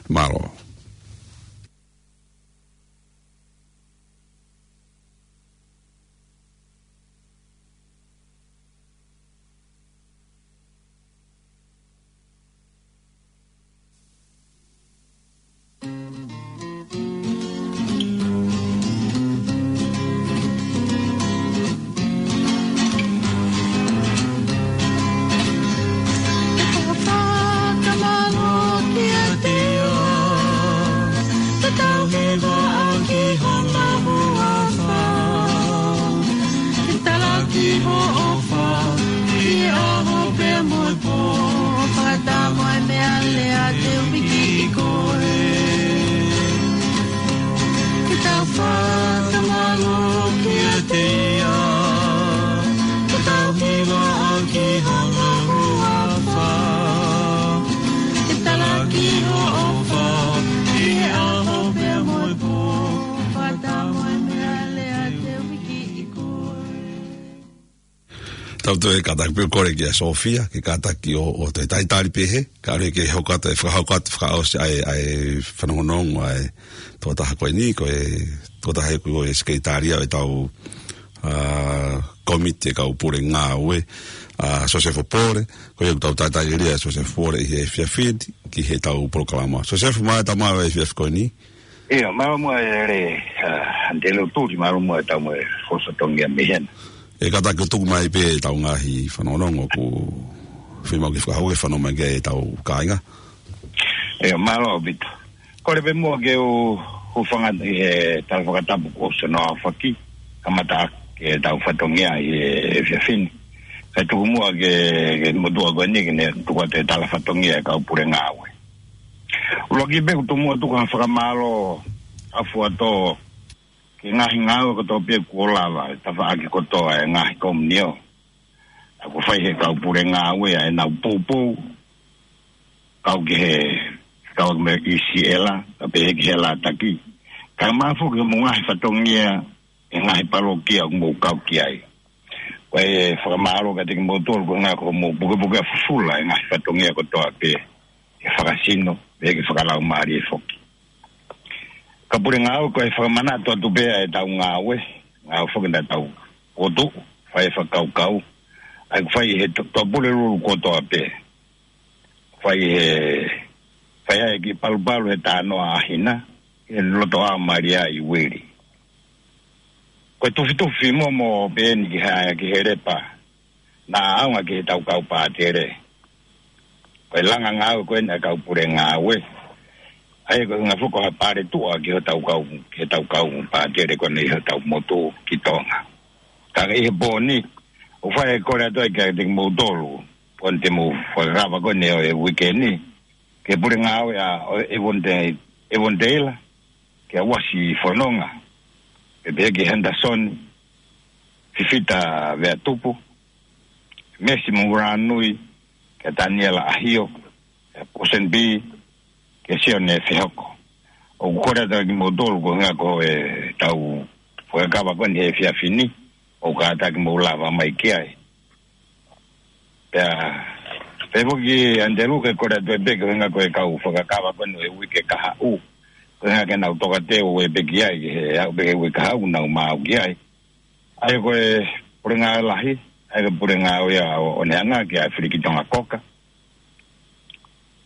Mālō. Ke tau fakamālō kiate ia, ke tau hiva ʻaki hona huafa. Ke talaki hoʻo ʻofa, ʻi he ʻaho pea mo e pō, ʻo fakatama e meʻalea te u piki ʻi koe. Ke tau fakamālō kiate ia, ke tau hiva ʻaki hona huafa. Ke talaki hoʻo ʻofa, ʻi he ʻaho pea mo e pō, fakatama e meʻalea te u piki ʻi koe. Tau toe kātaki pē ʻo kole kia Sofia, ke kātaki ʻo, ʻo toe talitali pē he, kae ʻoua ke hoko atu, fakahoko atu, fakaʻosi ʻa e, ʻa e fanongonongo, ʻa e tokotaha ko eni, ko e tokotaha ʻoku ʻi he sekelitali ʻo e tau, ʻa, kōmiti e kau pule ngāue, ʻa, Sosefo Pole, ko ia ʻoku tau talitali ʻa Sosefo Pole ʻi he efiafi ni, ki he tau polokalama. Sosefo, mālō e tau maʻu e efiafi ko eni. ʻIo, mālō muʻa e lelei, ʻa, Andelu Tuli, mālō muʻa e tau mo e fosatongia mei hena. ʻE kātaki ʻo tuku mai pē ʻetau ngaahi fanongonongo ʻoku fiemaʻu ke fakahoko ke fanongo mai ki ai ʻetau kāinga. ʻIo, mālō ʻaupito. Kole pē muʻa ke u hūfanga ʻi he tala fakatapu kuo ʻosi hono aofaki, kamata ʻaki ʻetau fatongia ʻi he efiafi ni. Kae tuku muʻa ke, ke motuʻa ko eni ke ne tuku atu e tala fatongia e kau pule ngāue. ʻUluaki pē ʻoku ou tuku muʻa ʻo tuku ha fakamālō ʻafuatō ki he ngaahi ngāue kotoa pē kuo lava, tafaʻaki kotoa e ngaahi komunio. ʻA, kuo fai he kau pule ngāue ʻa ʻenau poupou, kau ki he, kau mei ʻIsiela, kae pehē ki he Lataki. Kae ʻumaʻā foki mo e ngaahi fatongia, e ngaahi palokia ʻoku mou kau ki ai. Ko e fakamālō kiate kimoutolu koeʻuhi ko hoʻomou pukepuke ʻa fufula e ngaahi fatongia kotoa pē, ke fakasino, pea ke fakalaumālie foki. Kau pule ngāue, ko e fakamanatu atu pē ʻa ʻetau ngāue, ngāue foki naʻa tau fokotuʻu, fai e fakakaukau, ʻa ia ʻoku fai he to-, Tuʻapulelulu kotoa pē. Fai he, fai ai e kiʻi palupalu he tānoʻa ʻa Hina, he loto ʻa Malia ʻi Uili. Ko e tufitufi momo pē eni ki ha, ki he Lepa, naʻa ʻaonga ki heʻetau kau pātele. Ko e langa ngāue ko eni ʻa e kau pule ngāue. ʻA ia ko e ngaahi foʻi ko ha paletuʻa ki hotau kau, ki heʻetau kau pātele ko eni ʻi hotau motu ki Tonga. Ka ʻi he pō ni, ʻoku fai e kole atu ai kiate kimoutolu, ko eni te mou fakakava ko eni ʻo e uike ni, ki he pule ngāue ʻa, ʻo Evonte-, Evontela, kia Uasi Fononga, pea pehē kia Henderson Fifita Veatupu, Mesi Mohuranui, kia Taniela ʻAhio, kia Posen B, kia Sione Fehoko. ʻOku kole atu kimoutolu koeʻuhi ko ʻetau fakakava ko eni he efiafi ni, ʻoku kātaki mou lava mai ki ai. Pea, pea foki Andelu ke kole atu pē koeʻuhi ko e kau fakakava ko eni he uike kahaʻu. Koeʻuhi ke nau tokateu pē ki ai, he aʻu pē he uike kahaʻu nau maau ki ai. ʻA ia ko e pule ngāue lahi, ʻa ia ko e pule ngāue ʻa ʻOneanga kia Filiki Tonga Koka.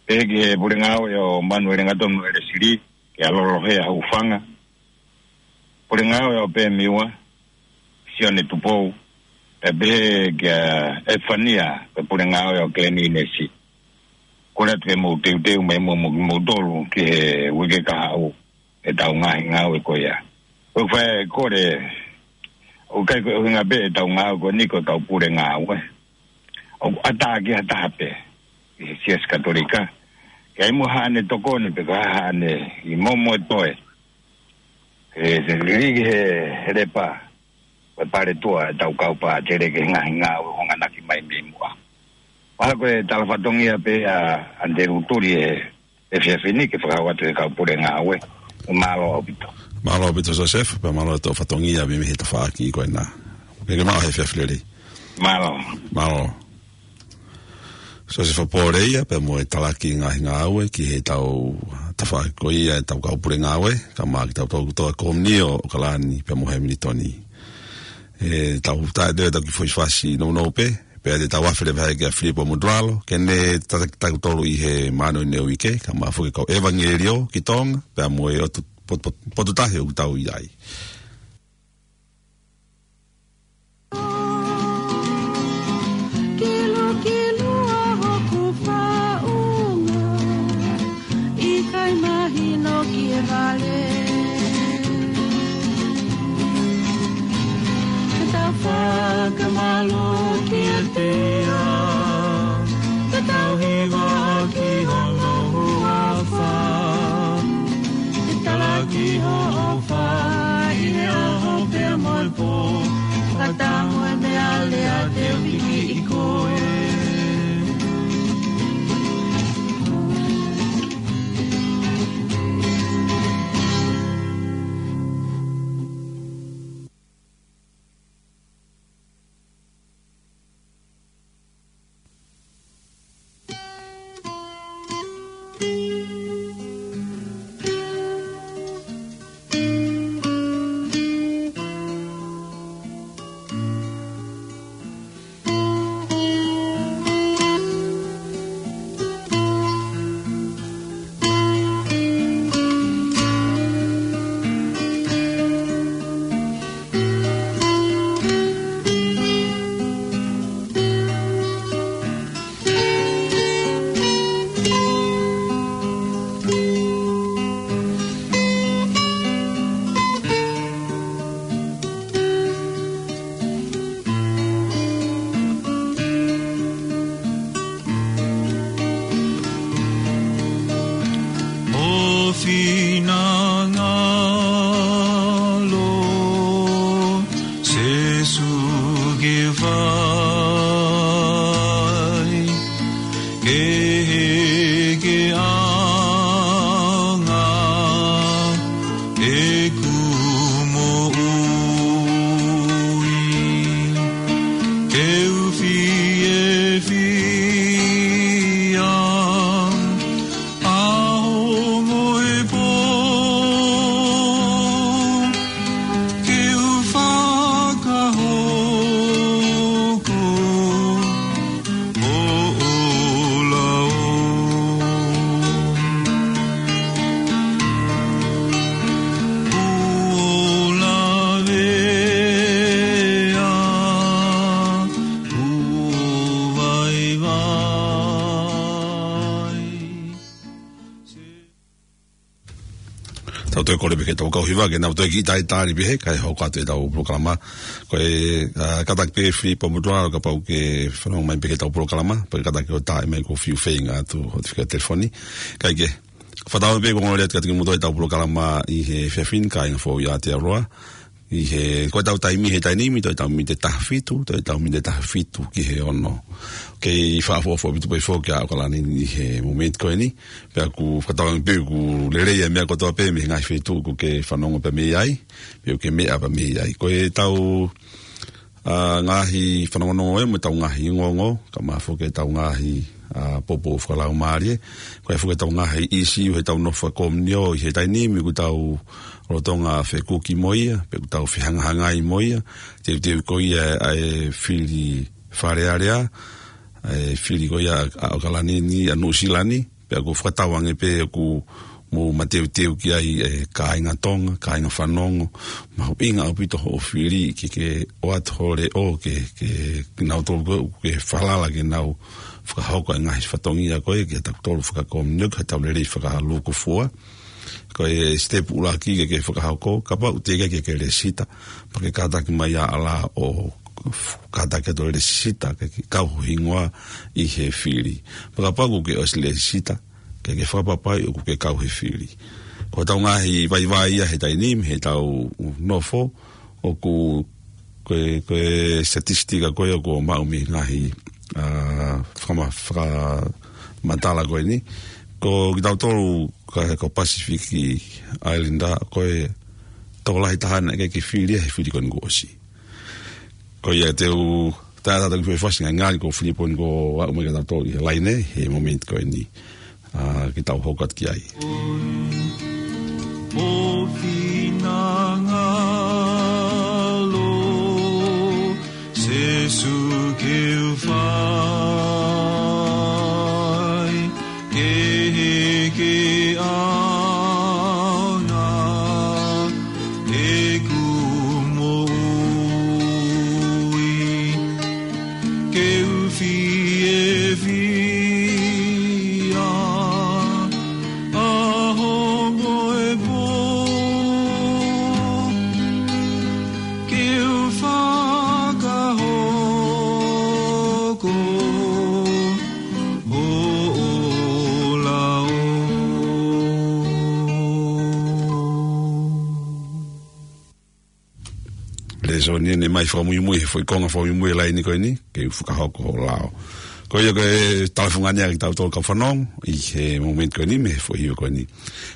Pehē ki he pule ngāue ʻo Manuele Ngatonu ʻElesili, kia Lolo Hea Hufanga. Pule ngāue ʻo Pemiua, Sione Tupou, pea pehē kia Efania, pea pule ngāue ʻo Keleni Inesi. Kole atu ke mou teuteu mai mo, mo, moutolu ki he uike kahaʻu ʻetau ngaahi ngāue ko ia. ʻOku fai e kole, ʻoku ʻikai ko e ʻuhinga pē ʻetau ngāue ko eni ko e kau pule ngāue. ʻOku ʻatā ki ha taha pē, ʻi he Siasi Katolika. Ke ʻi ai mo haʻane tokoni pe ko haʻane ʻi momo e toe. ʻE, te liliki he, he Lepa, ko e paletuʻa ʻetau kau pātele ki he ngaahi ngāue ʻoku hanganaki mai mei muʻa. Pea ko e tala fatongia pē ʻa Andelu Tuli he, he efiafi ni ke fakahoko atu he kau pule ngāue. Mālō ʻaupito. Mālō ʻaupito Joseph, pea mālō e tau fatongia mei, mei he tafaʻaki ko ena. Ke ke maʻu he efiafi lelei. Mālō. Mālō. Joseph Pōleia, pea mo e talaki ngaahi ngāue ki he tau tafaʻaki ko ia ʻetau kau pule ngāue, kae ʻumaʻā kitautolu kotoa ko eni ʻo ʻAokalani, pea mo Hamilton. ʻE tau taʻe te tau kiʻi foʻi fasi nounou pē, pea te tau afe leva ai kia Filipo Motulalo, ke ne tataki kitautolu ʻi he māʻoniʻoni ʻo e uike, kae ʻumaʻā foki e kau ʻevangeliō ki Tonga, pea mo e ʻotu pot-, pot-, potu tahi ʻoku tau ʻi ai. Kilukilu ʻa hoku faʻunga, ʻikai mahino ki he vale. Ke tau fakamālō kiate ia, ke tau hiva ki hono huafa. Ke talaki hoʻo fai he ʻaho pea mo e pō, ka tango e meʻa lea te u hiki ʻi koe. Ho finangalo, Sīsū, ke fai, ke hiki ange ʻeku moʻui. Tau toe kole pē ki heʻetau kau hiva ke nau toe kiʻi talitali pē he kae hoko atu ʻetau polokalama. Ko e, ā, kātaki pē Filipo Motuʻa, kapau ʻoku ke fanongo mai pē ki heʻetau polokalama, pea kātaki ʻo tā mai ko e fiu feinga atu hoʻo fika telefoni. Kae kehe, fakatauange pē kuo ongo lelei atu kiate kimoutolu ʻetau polokalama ʻi he efiafi ni, kāinga foʻou ʻi Aotearoa. ʻI he, ko ʻetau taimi he taimi ni, toe ʻetau miniti ʻe taha fitu, toe ʻetau miniti ʻe taha fitu ki he ono. Kei fakaʻofoʻofa ʻaupito pē foki ʻa ʻAokalani ʻi he momeniti ko eni. Pea ʻoku fakatauange pē ʻoku lelei ʻa e meʻa kotoa pē mei he ngaahi feituʻu ʻoku ke fanongo pē mei ai, pe ʻoku ke meʻa pē mei ai. Ko ʻetau, ā, ngaahi fanongonongo ē, mo ʻetau ngaahi ongoongo, kae ʻumaʻā foki ʻetau ngaahi, ā, poupou fakalaumālie. Ko e foki ʻetau ngaahi ʻīsiu heʻetau nofo fakakomiunio ʻi he taimi ni, ʻoku tau lolotonga fekuki mo ia, pe ʻoku tau fehangahangai mo ia, teuteu ko ia ʻa e fili Fale Alea, ʻa e fili ko ia ʻa ʻAokalani ni, ʻa Nuʻusila ni, pea ʻoku fakatauange pē ʻoku mou mateuteu ki ai ʻa e kāinga Tonga, kāinga fanongo, mahuʻinga ʻaupito hoʻo fili ke ke ʻoatu ho leʻo ke, ke, ke nau tolu ko ē ʻoku ke falala ke nau fakahoko ʻa e ngaahi fatongia ko ē, ke tau tolu fakakomiunio, ke tau lelei fakalūkufua. Ko e sitepu ʻuluaki ke ke fakahoko, kapau ʻoku teʻeki ke ke lēsisita, pea ke kātaki mai ā ʻa e lao ʻo kātaki atu e lēsisita ke, ke kau ho hingoa ʻi he fili. Pea kapau ʻoku ke ʻosi lēsisita, ke ke fakapapauʻi ʻoku ke kau he fili. Ko ʻetau ngaahi vaivai ia he taimi ni, heʻetau nofo, ʻoku ko e, ko e statistika ko ē ʻoku maʻu mei he ngaahi, ā, fakama-, fakamatala ko eni. Ko kitautolu ka, ko Pacific Islander, ko e tokolahi taha naʻe ʻikai ke fili ia he fili ko eni kuo ʻosi. Ko ia te u taʻataʻa ki he fasi ngai ngali ko Filipo ni kuo aʻu mai kiate kitautolu ʻi he laine he momeniti ko eni. Ā, ke tau hoko atu ki ai. Mo finangalo, Sēsū ke u fai, ke heke ʻaonga ʻeku moʻui. Ke u fiefia ʻaho mo e pō. Ke u fakahoko hoʻo lao. Lēsoni eni mai fakamuimui, he foʻi konga fakamuimui ʻo e laine ko eni, ke u fakahoko hoʻo lao. Ko ia ko e talafungani ʻa kitautolu kau fanongo ʻi he momeniti ko eni mei he foʻi hiva ko eni.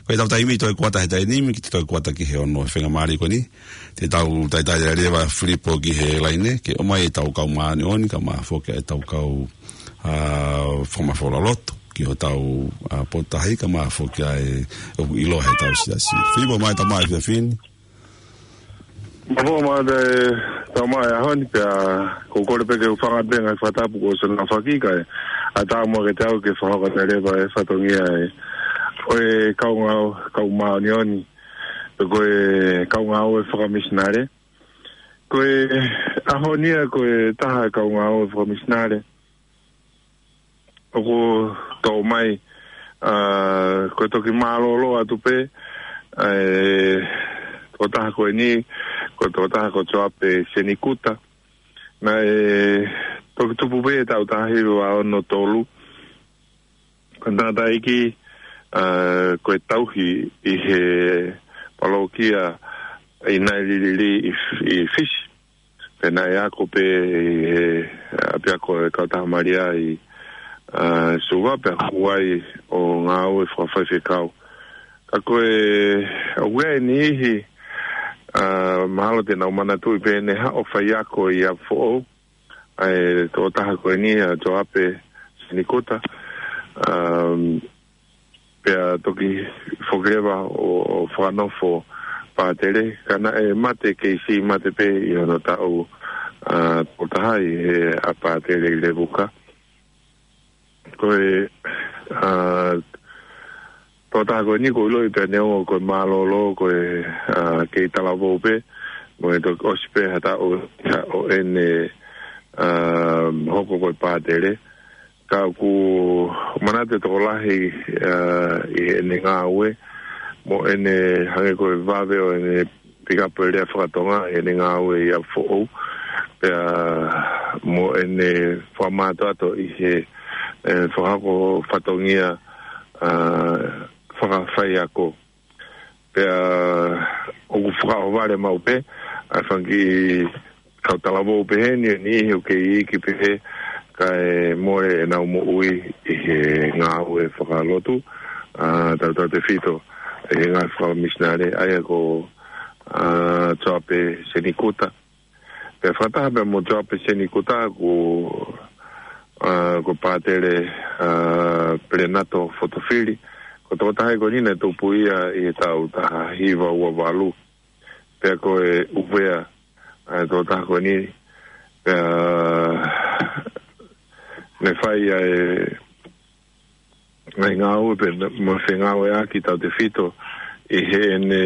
Ko ʻetau taimi toe kuata he taimi ni, ke toe kuata ki he ono he faingamālie ko eni. Te tau talitali leva Filipo ki he laine, ke ʻomai ʻetau kau māʻoniʻoni, kae ʻumaʻā foki ʻetau kau, ā, fakamafola lotu ki hotau, ā, potutahi, kae ʻumaʻā foki ʻa e ʻoku ʻiloa heʻetau siasi. Filipo, mālō e tau mai efiafi ni. Mālō, mālō e tau mai ʻaho ni pea, ko e kole pē ke u hūfanga pē he ngaahi fakatapu kuo ʻosi hono aofaki kae ʻatā muʻa kiate au ke fakahoko atu leva e fatongia ʻo e kau ngāue, kau māʻoniʻoni, pe ko e kau ngāue fakamisinale. Ko e ʻaho ni ia ko e taha kau ngāue fakamisinale ʻoku toʻo mai, ā, ko e toki mālōlō atu pē, ā, e tokotaha ko eni, ko e tokotaha ko Joape Senikuta. Naʻe toki tupu pē he taʻu taha hiva ono tolu. Ko e tangataʻeiki, ā, ko e tauhi ʻi he palokia ʻi Naililili ʻi, ʻi Fisi. Pea naʻe ako pē ʻi he, ā, ʻapiako ʻo e Kautaha Malia ʻi, ā, Suva pea hū ai ʻo ngāue fakafaifekau. Ka ko e, ʻoku ʻi ai e niʻihi, ā, mahalo te nau manatuʻi pē ʻene haʻu ʻo faiako ʻi ʻapi foʻou, ʻa e tokotaha ko eni, ā, Joape Senikuta, ā, pea toki foki leva ʻo, ʻo fakanofo pātele, ka naʻe mate, kei siʻi mate pē ʻi hono taʻu, ā, toko taha ʻi he ʻa pātele ʻi Levuka. Ko e, ā, tokotaha ko eni ʻoku ʻiloʻi pē ʻa e ongo ko e mālōlō, ko e, ā, kei talavou pē, mo e toki ʻosi pē ha taʻu, ʻo ʻene, ā, hoko ko e pātele. Ka ʻoku manatu e tokolahi, ā, ʻi heʻene ngāue, mo ʻene hangē ko e vave ʻo ʻene pikapu e lea fakatonga ʻene ngāue ʻi ʻApifoʻou. Pea mo ʻene fakamātoato ʻi he, e, fakahoko fatongia, a, fakafaiako. Pea ʻoku fakaʻohovale maʻu pē, a, fanga kiʻi kau talavou pehē ni, ʻe niʻihi ʻoku kei iiki pehē, kae mole ʻenau moʻui ʻi he ngāue fakalotu, a, tautautefito ʻi he ngāue fakamisinale, ʻa ia ko, a, Joape Senikuta. Pea fakataha pea mo Joape Senikuta ko, a, ko Pātele, a, Pelenato Fotofili. Ko e tokotaha ko eni naʻe tupu ia ʻi he taʻu taha hiva ua valu. Pea ko e ʻUvea, a, e tokotaha ko eni, pea ne fai ʻa e ngaahi ngāue pea mo e fengāueʻaki tautefito ʻi heʻene,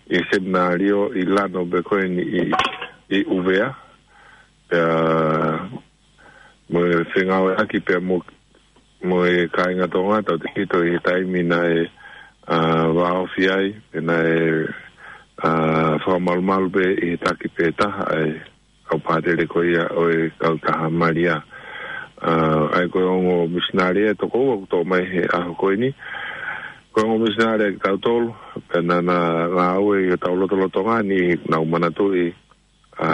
ʻi he seminalio ʻi Lano pea ko eni ʻi, ʻi ʻUvea. Pea mo e fengāueʻaki pea mo, mo e kāinga Tonga tautefito ʻi he taimi naʻe, a, vāofi ai, pea naʻe, a, fakamalumalu pē ʻi he taki pē taha ʻa e kau pātele ko ia ʻo e kautaha Malia. A, ʻa ia ko e ongo misinale ʻe toko ua ʻoku toʻo mai he ʻaho ko eni. Ko e ongo misinale ʻa kitautolu, pea naʻa na ngāue ʻi hotau lotolotonga ni, nau manatuʻi, a,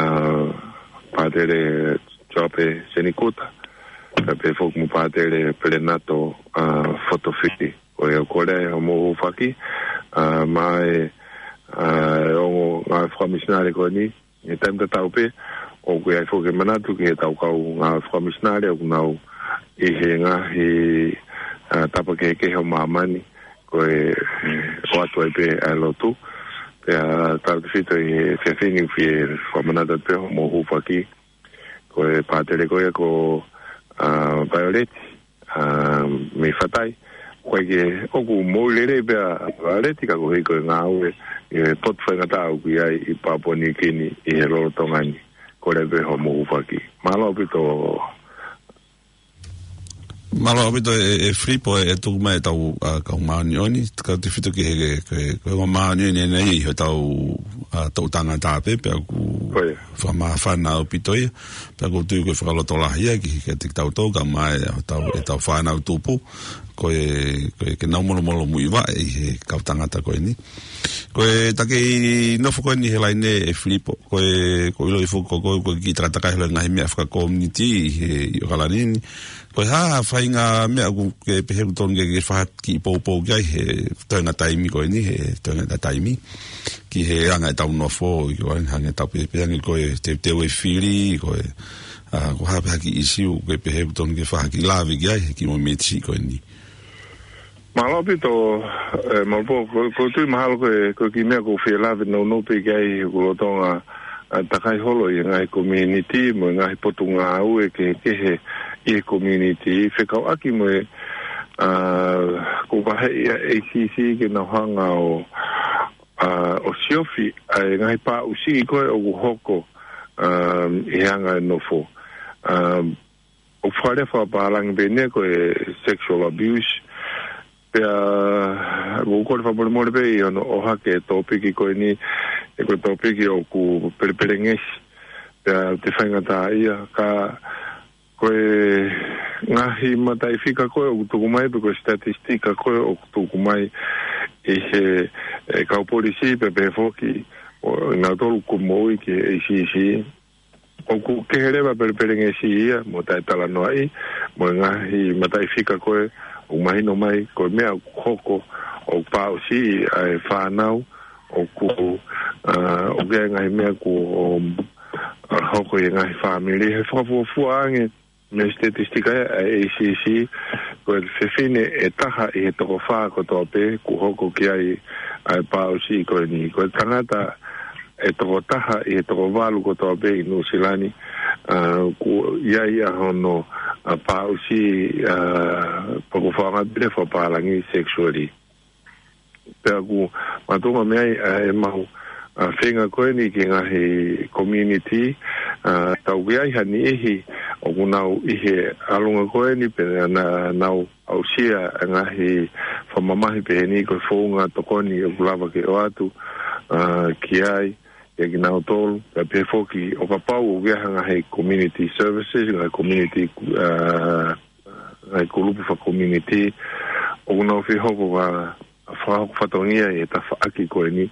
Pātele Joape Senikuta, pea pehē foki mo Pātele Pelenato, a, Fotofili. Ko ia ʻoku kole ai hoʻomou hūfaki, a, maʻa e, a, ongo ngāue fakamisinale ko eni, ʻi he taimi tatau pē, ʻoku ʻi ai foki e manatu ki heʻetau kau ngāue fakamisinale ʻoku nau ʻi he ngaahi, a, tapa kehekehe ʻo māmani, ko e, e, ʻoatu ai pē ʻa e lotu. Pea tautefito ʻi he efiafi ni ʻoku fie fakamanatu pē hoʻomou hūfaki, ko e pātele ko ia ko, a, Violet, a, mei Fatai. ʻOku ʻikai ke, ʻoku moʻui lelei pē ʻa Violet ka koeʻuhi ko e ngāue ʻi he potu faingataʻa ʻoku ʻi ai ʻi Papua New Guinea ʻi he lolotonga ni. Kole pē hoʻomou hūfaki. Mālō ʻaupito. Mālō ʻaupito e, e Filipo e, e tuku mai ʻetau, a, kau māʻoniʻoni, tautefito ki he, ke, ke, ko e māʻoniʻoni ʻeni ʻi hotau, a, toʻutangata pē, pea ʻoku fakamāfana ʻaupito ia, pea ʻoku ou tui ko e fakalotolahi ia ki, kiate kitautolu, kae ʻumaʻā ʻetau, ʻetau fānau tupu, ko e, ko e ke nau molomolomuivaʻe ʻi he kau tangata ko eni. Ko e ta kei nofo ko eni he laine e Filipo, ko e, ʻoku ou ʻilo foki ko, ko, ko e kiʻi takatakai holo e ngaahi meʻa fakakominiti ʻi he, ʻi ʻOkalani ni. Ko e hā ha faʻahinga meʻa ʻoku ke pehē ʻoku totonu ke, ke fai ha kiʻi poupou ki ai he toenga taimi ko eni, he toenga taimi. Ki he anga ʻetau nofo, ʻi ʻOkalani hangē ʻetau pehē, pehē ange ko e teuteu e fili, ko e, a, ko e hā pē ha kiʻi ʻisiū ʻoku ke pehē ʻoku totonu ke fai ha kiʻi lave ki ai, he kiʻi momeniti ko eni. Mālō ʻaupito, e, Malupo, ko, ʻoku ou tui mahalo ko e, ko e kiʻi meʻa ʻoku ou fie lave nounou pē ki ai, ʻoku lolotonga, a, takai holo ʻi he ngaahi kominiti, mo e ngaahi potungāue kehekehe ʻi he kominiti, fekauʻaki mo e, a, ʻoku vaheʻi ʻe he A C C ke nau hanga ʻo, a, ʻo siofi ʻa e ngaahi pāʻusiʻi ko ē ʻoku hoko, a, ʻi he anga e nofo. A, ʻoku fakalea fakapālangi pē eni ko e sexual abuse. Pea, ʻoku ou kole fakamolemole pē ʻi hono ʻohake e tōpiki ko eni, he ko e tōpiki ʻoku pelepelengesi. Pea ʻoku faingataʻaʻia, ka ko e ngaahi mataʻifika ko ē ʻoku tuku mai, pe ko e statistika ko ē ʻoku tuku mai ʻi he, e, kau polisi, pea pehē foki ʻo, ʻa kinautolu ʻoku moʻui ki he A C C. ʻOku kehe leva pelepelengesi ia, mo taʻetalanoaʻi, mo e ngaahi mataʻifika ko ē, ʻoku mahino mai, ko e meʻa ʻoku hoko, ʻoku pāʻusiʻi ʻa e fānau, ʻoku, a, ʻoku ʻi ai e ngaahi meʻa ʻoku, um, a, hoko ʻi he ngaahi fāmili, he fakafuofua ange, mei he statistika ʻa e A C C, ko e fefine ʻe taha ʻi he toko fā kotoa pē, ʻoku hoko ki ai ʻa e pāʻusiʻi ko eni. Ko e tangata ʻe toko taha ʻi he toko valu kotoa pē ʻi Nuʻusila ni, a, ʻoku ʻi ai ʻa hono, a, pāʻusiʻi, a, pea ʻoku fakaʻaongaʻi pē fakapālangi sexually. Pea ʻoku makatuʻunga mei ai, a, ʻemau, a, feinga ko eni ki he ngaahi community, a, tau ʻi ai ha niʻihi ʻoku nau ʻi he ʻalunga ko eni pea na-, nau aʻusia e ngaahi fakamamahi pehē ni ko e founga tokoni ʻoku lava ke ʻoatu, ā, ki ai, ʻia kinautolu, pea pehē foki ʻo kapau ʻoku ʻi ai ha ngaahi community services, ngaahi community, ā, ngaahi kulupu faka-community, ʻoku nau fie hoko ʻo fakahoko fatongia ʻi he tafaʻaki ko eni.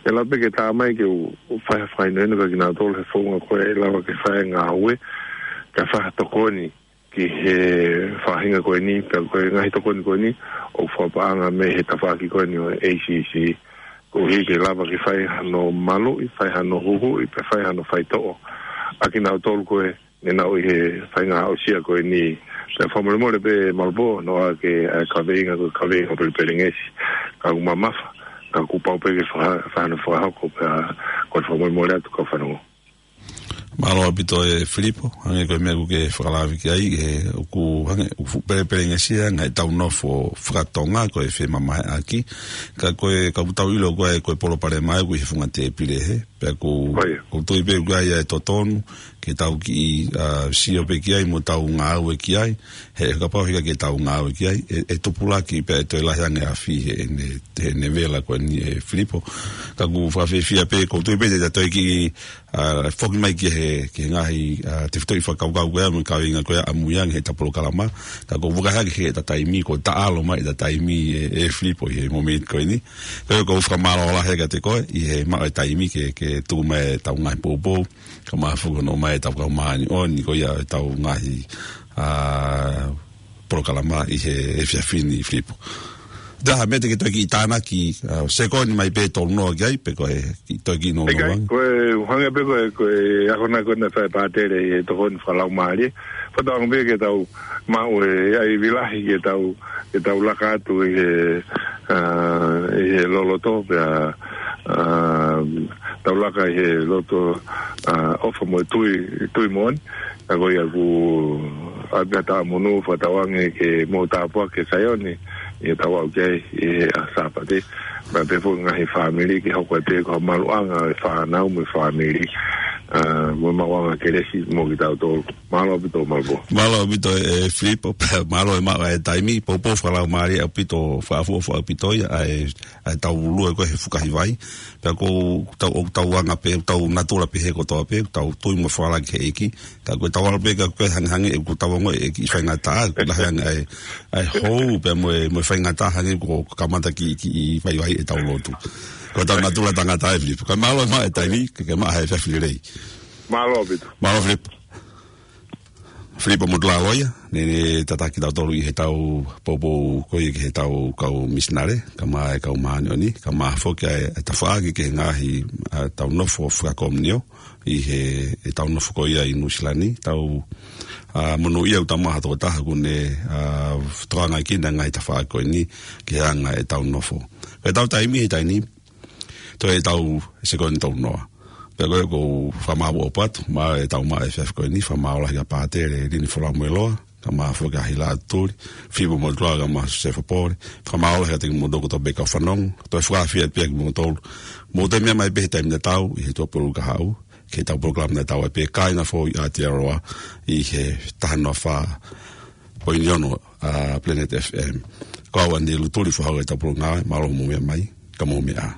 ʻE lava pē ke tā mai ke u, u fai ha fakahinohino kia kinautolu he founga ko ē ʻe lava ke fai e ngāue, kae fai ha tokoni ki he faʻahinga ko eni, pea ko e ngaahi tokoni ko eni, ʻoku fakapaʻanga mei he tafaʻaki ko eni ʻo e A C C. Koeʻuhi ke lava ke fai hano maluʻi, fai hano huhuʻi, pea fai hano faitoʻo ʻa kinautolu ko ē ne nau ʻi he faʻahinga aʻusia ko eni. Pea fakamolemole pē Malupō, noa ke, ā, kaveinga ko e kaveinga pelepelengesi, ka ʻoku mamafa, ka ʻoku pau pē ke faka-, fai hano fakahoko, pea ko e fakamolemole atu kau fanongo. Mālō ʻaupito ʻe Filipo, hangē ko e meʻa ʻoku ke fakalave ki ai, ʻe, ʻoku hangē, ʻoku fuʻu pelepelengesi ʻa e ngaahi ʻetau nofo fakatonga, ko e femamahiʻaki, ka ko e, ka ʻoku tau ʻilo ko e, ko e palopalema ʻoku ʻi he funga tēpile hē, pea ʻoku, ʻOi. ʻoku tui pē ʻoku ʻi ai e totonu, ke tau kiʻi, ā, sio pē ki ai mo tau ngāue ki ai, he kapau ʻe ʻikai ke tau ngāue ki ai, ʻe, ʻe tupulaki pea ʻe toe lahi ange ʻa e afi heʻene, heʻene vela ko eni ʻe Filipo. Ka ʻoku fakafiefia pē, ʻoku tui pē te tau toe kiʻi, ā, foki mai ki he, ki he ngaahi, ā, tefitoʻi fakakaukau ko ia mo e kaveinga ko ia ʻamui ange heʻeta polokalama. Ka ʻoku ou fakahā ki heʻeta taimi, kuo taʻalo mai ʻeta taimi ʻe, ʻe Filipo ʻi he momeniti ko eni. Ka ʻoku ou fakamālō lahi kiate koe, ʻi he maʻu e taimi ke, ke tuku mai ʻetau ngaahi poupou, kae ʻumaʻā foki hono ʻomai ʻetau kau māʻoniʻoni ko ia ʻetau ngaahi, ā, polokalama ʻi he efiafi ni Filipo. Taha meʻa te ke toe kiʻi tānaki, ā, sekoni mai pē tolu noa ki ai, pe ko e kiʻi toe kiʻi noa ʻIkai, noa. ko e hangē pē ko e, ko e ako na ko ena fai pātele ʻi he tokoni fakalaumālie. Fakatauange pē ke tau maʻu e ʻai vilahi ke tau, ke tau laka atu ʻi he, ā, ʻi he loloto pea, ā, tau laka ʻi he loto, ā, ʻofa mo e tui, tui moʻoni. Ka ko ia ʻoku ʻai pē ha taʻamonū, fakatauange ke mou tāpuaki kia Saione ʻi heʻetau aʻu ki ai ʻi he ʻaho Sāpate. Pea pehē foki ngaahi fāmili ke hoko atu ko e maluʻanga e fānau mo e fāmili, ā, mo e maʻuʻanga kelesi mo kitautolu. Mālō ʻaupito Malupō. Mālō ʻaupito ʻe Filipo, pea mālō e maʻu e taimi, poupou fakalaumālie ʻaupito, fakaʻofoʻofa ʻaupito ia, ʻa e, ʻa ʻetau lue ko ē he fukahi vai. Pea ʻoku tau, ʻoku tau anga pē, tau natula pē he kotoa pē, tau tui mo falala ki he ʻEiki. Ka ko ʻetau ʻalu pē ka ko e hangehangē, ʻoku tau ongoʻi e kiʻi faingataʻa, ʻoku lahi ange ʻa e, ʻa e hou, pea mo e, mo e faingataʻa hangē kuo kamata kiʻi, kiʻi vaivai ʻetau lotu. Ko ʻetau natula tangata ʻe Filipo. Ka mālō e maʻu e taimi, ke, ke maʻu ha efiafi lelei. Mālō ʻaupito. Mālō Filipo. Filipo Motulaloia, ne, ne tataki kitautolu ʻi heʻetau poupou ko ia ki heʻetau kau misinale, kae ʻumaʻā e kau māʻoniʻoni, kae ʻumaʻā foki ʻa e, ʻa e tafaʻaki ki he ngaahi, ā, ʻetau nofo fakakomiunio, ʻi he, ʻetau nofo ko ia ʻi Nuʻusila ni, tau, ā, monūʻia ʻoku tau maʻu ha tokotaha ʻoku ne, ā, tokanga ki he ngaahi tafaʻaki ko eni, ki he anga ʻetau nofo. Ko ʻetau taimi he taimi ni, toe ʻetau sekoni tolu noa. Pea ko e ʻoku ou fakamālō ʻaupito, maʻu ʻetau maʻu e efiafi ko eni, fakamālō lahi kia Pātele Lini Folau Moeloa, kae ʻumaʻā foki ʻa Hila Tuli, Filipo Motulaloia kae ʻumaʻā Siosefa Pole, fakamālō lahi kiate kimoutolu kotoa pē kau fanongo, toe fakaafeʻi atu pē kimoutolu, mou toe meʻa mai pē he taimi tatau, ʻi he Tuʻapulelulu kahaʻu, ki heʻetau polokalama tatau ai pē Kāinga Foʻou ʻi Aotearoa, ʻi he taha noa fā poini ono, ā, Planet F M. Ko au Andy Lutuli, foha ʻo e Tapulunga, mālō mou meʻa mai, ka mou meʻa ā.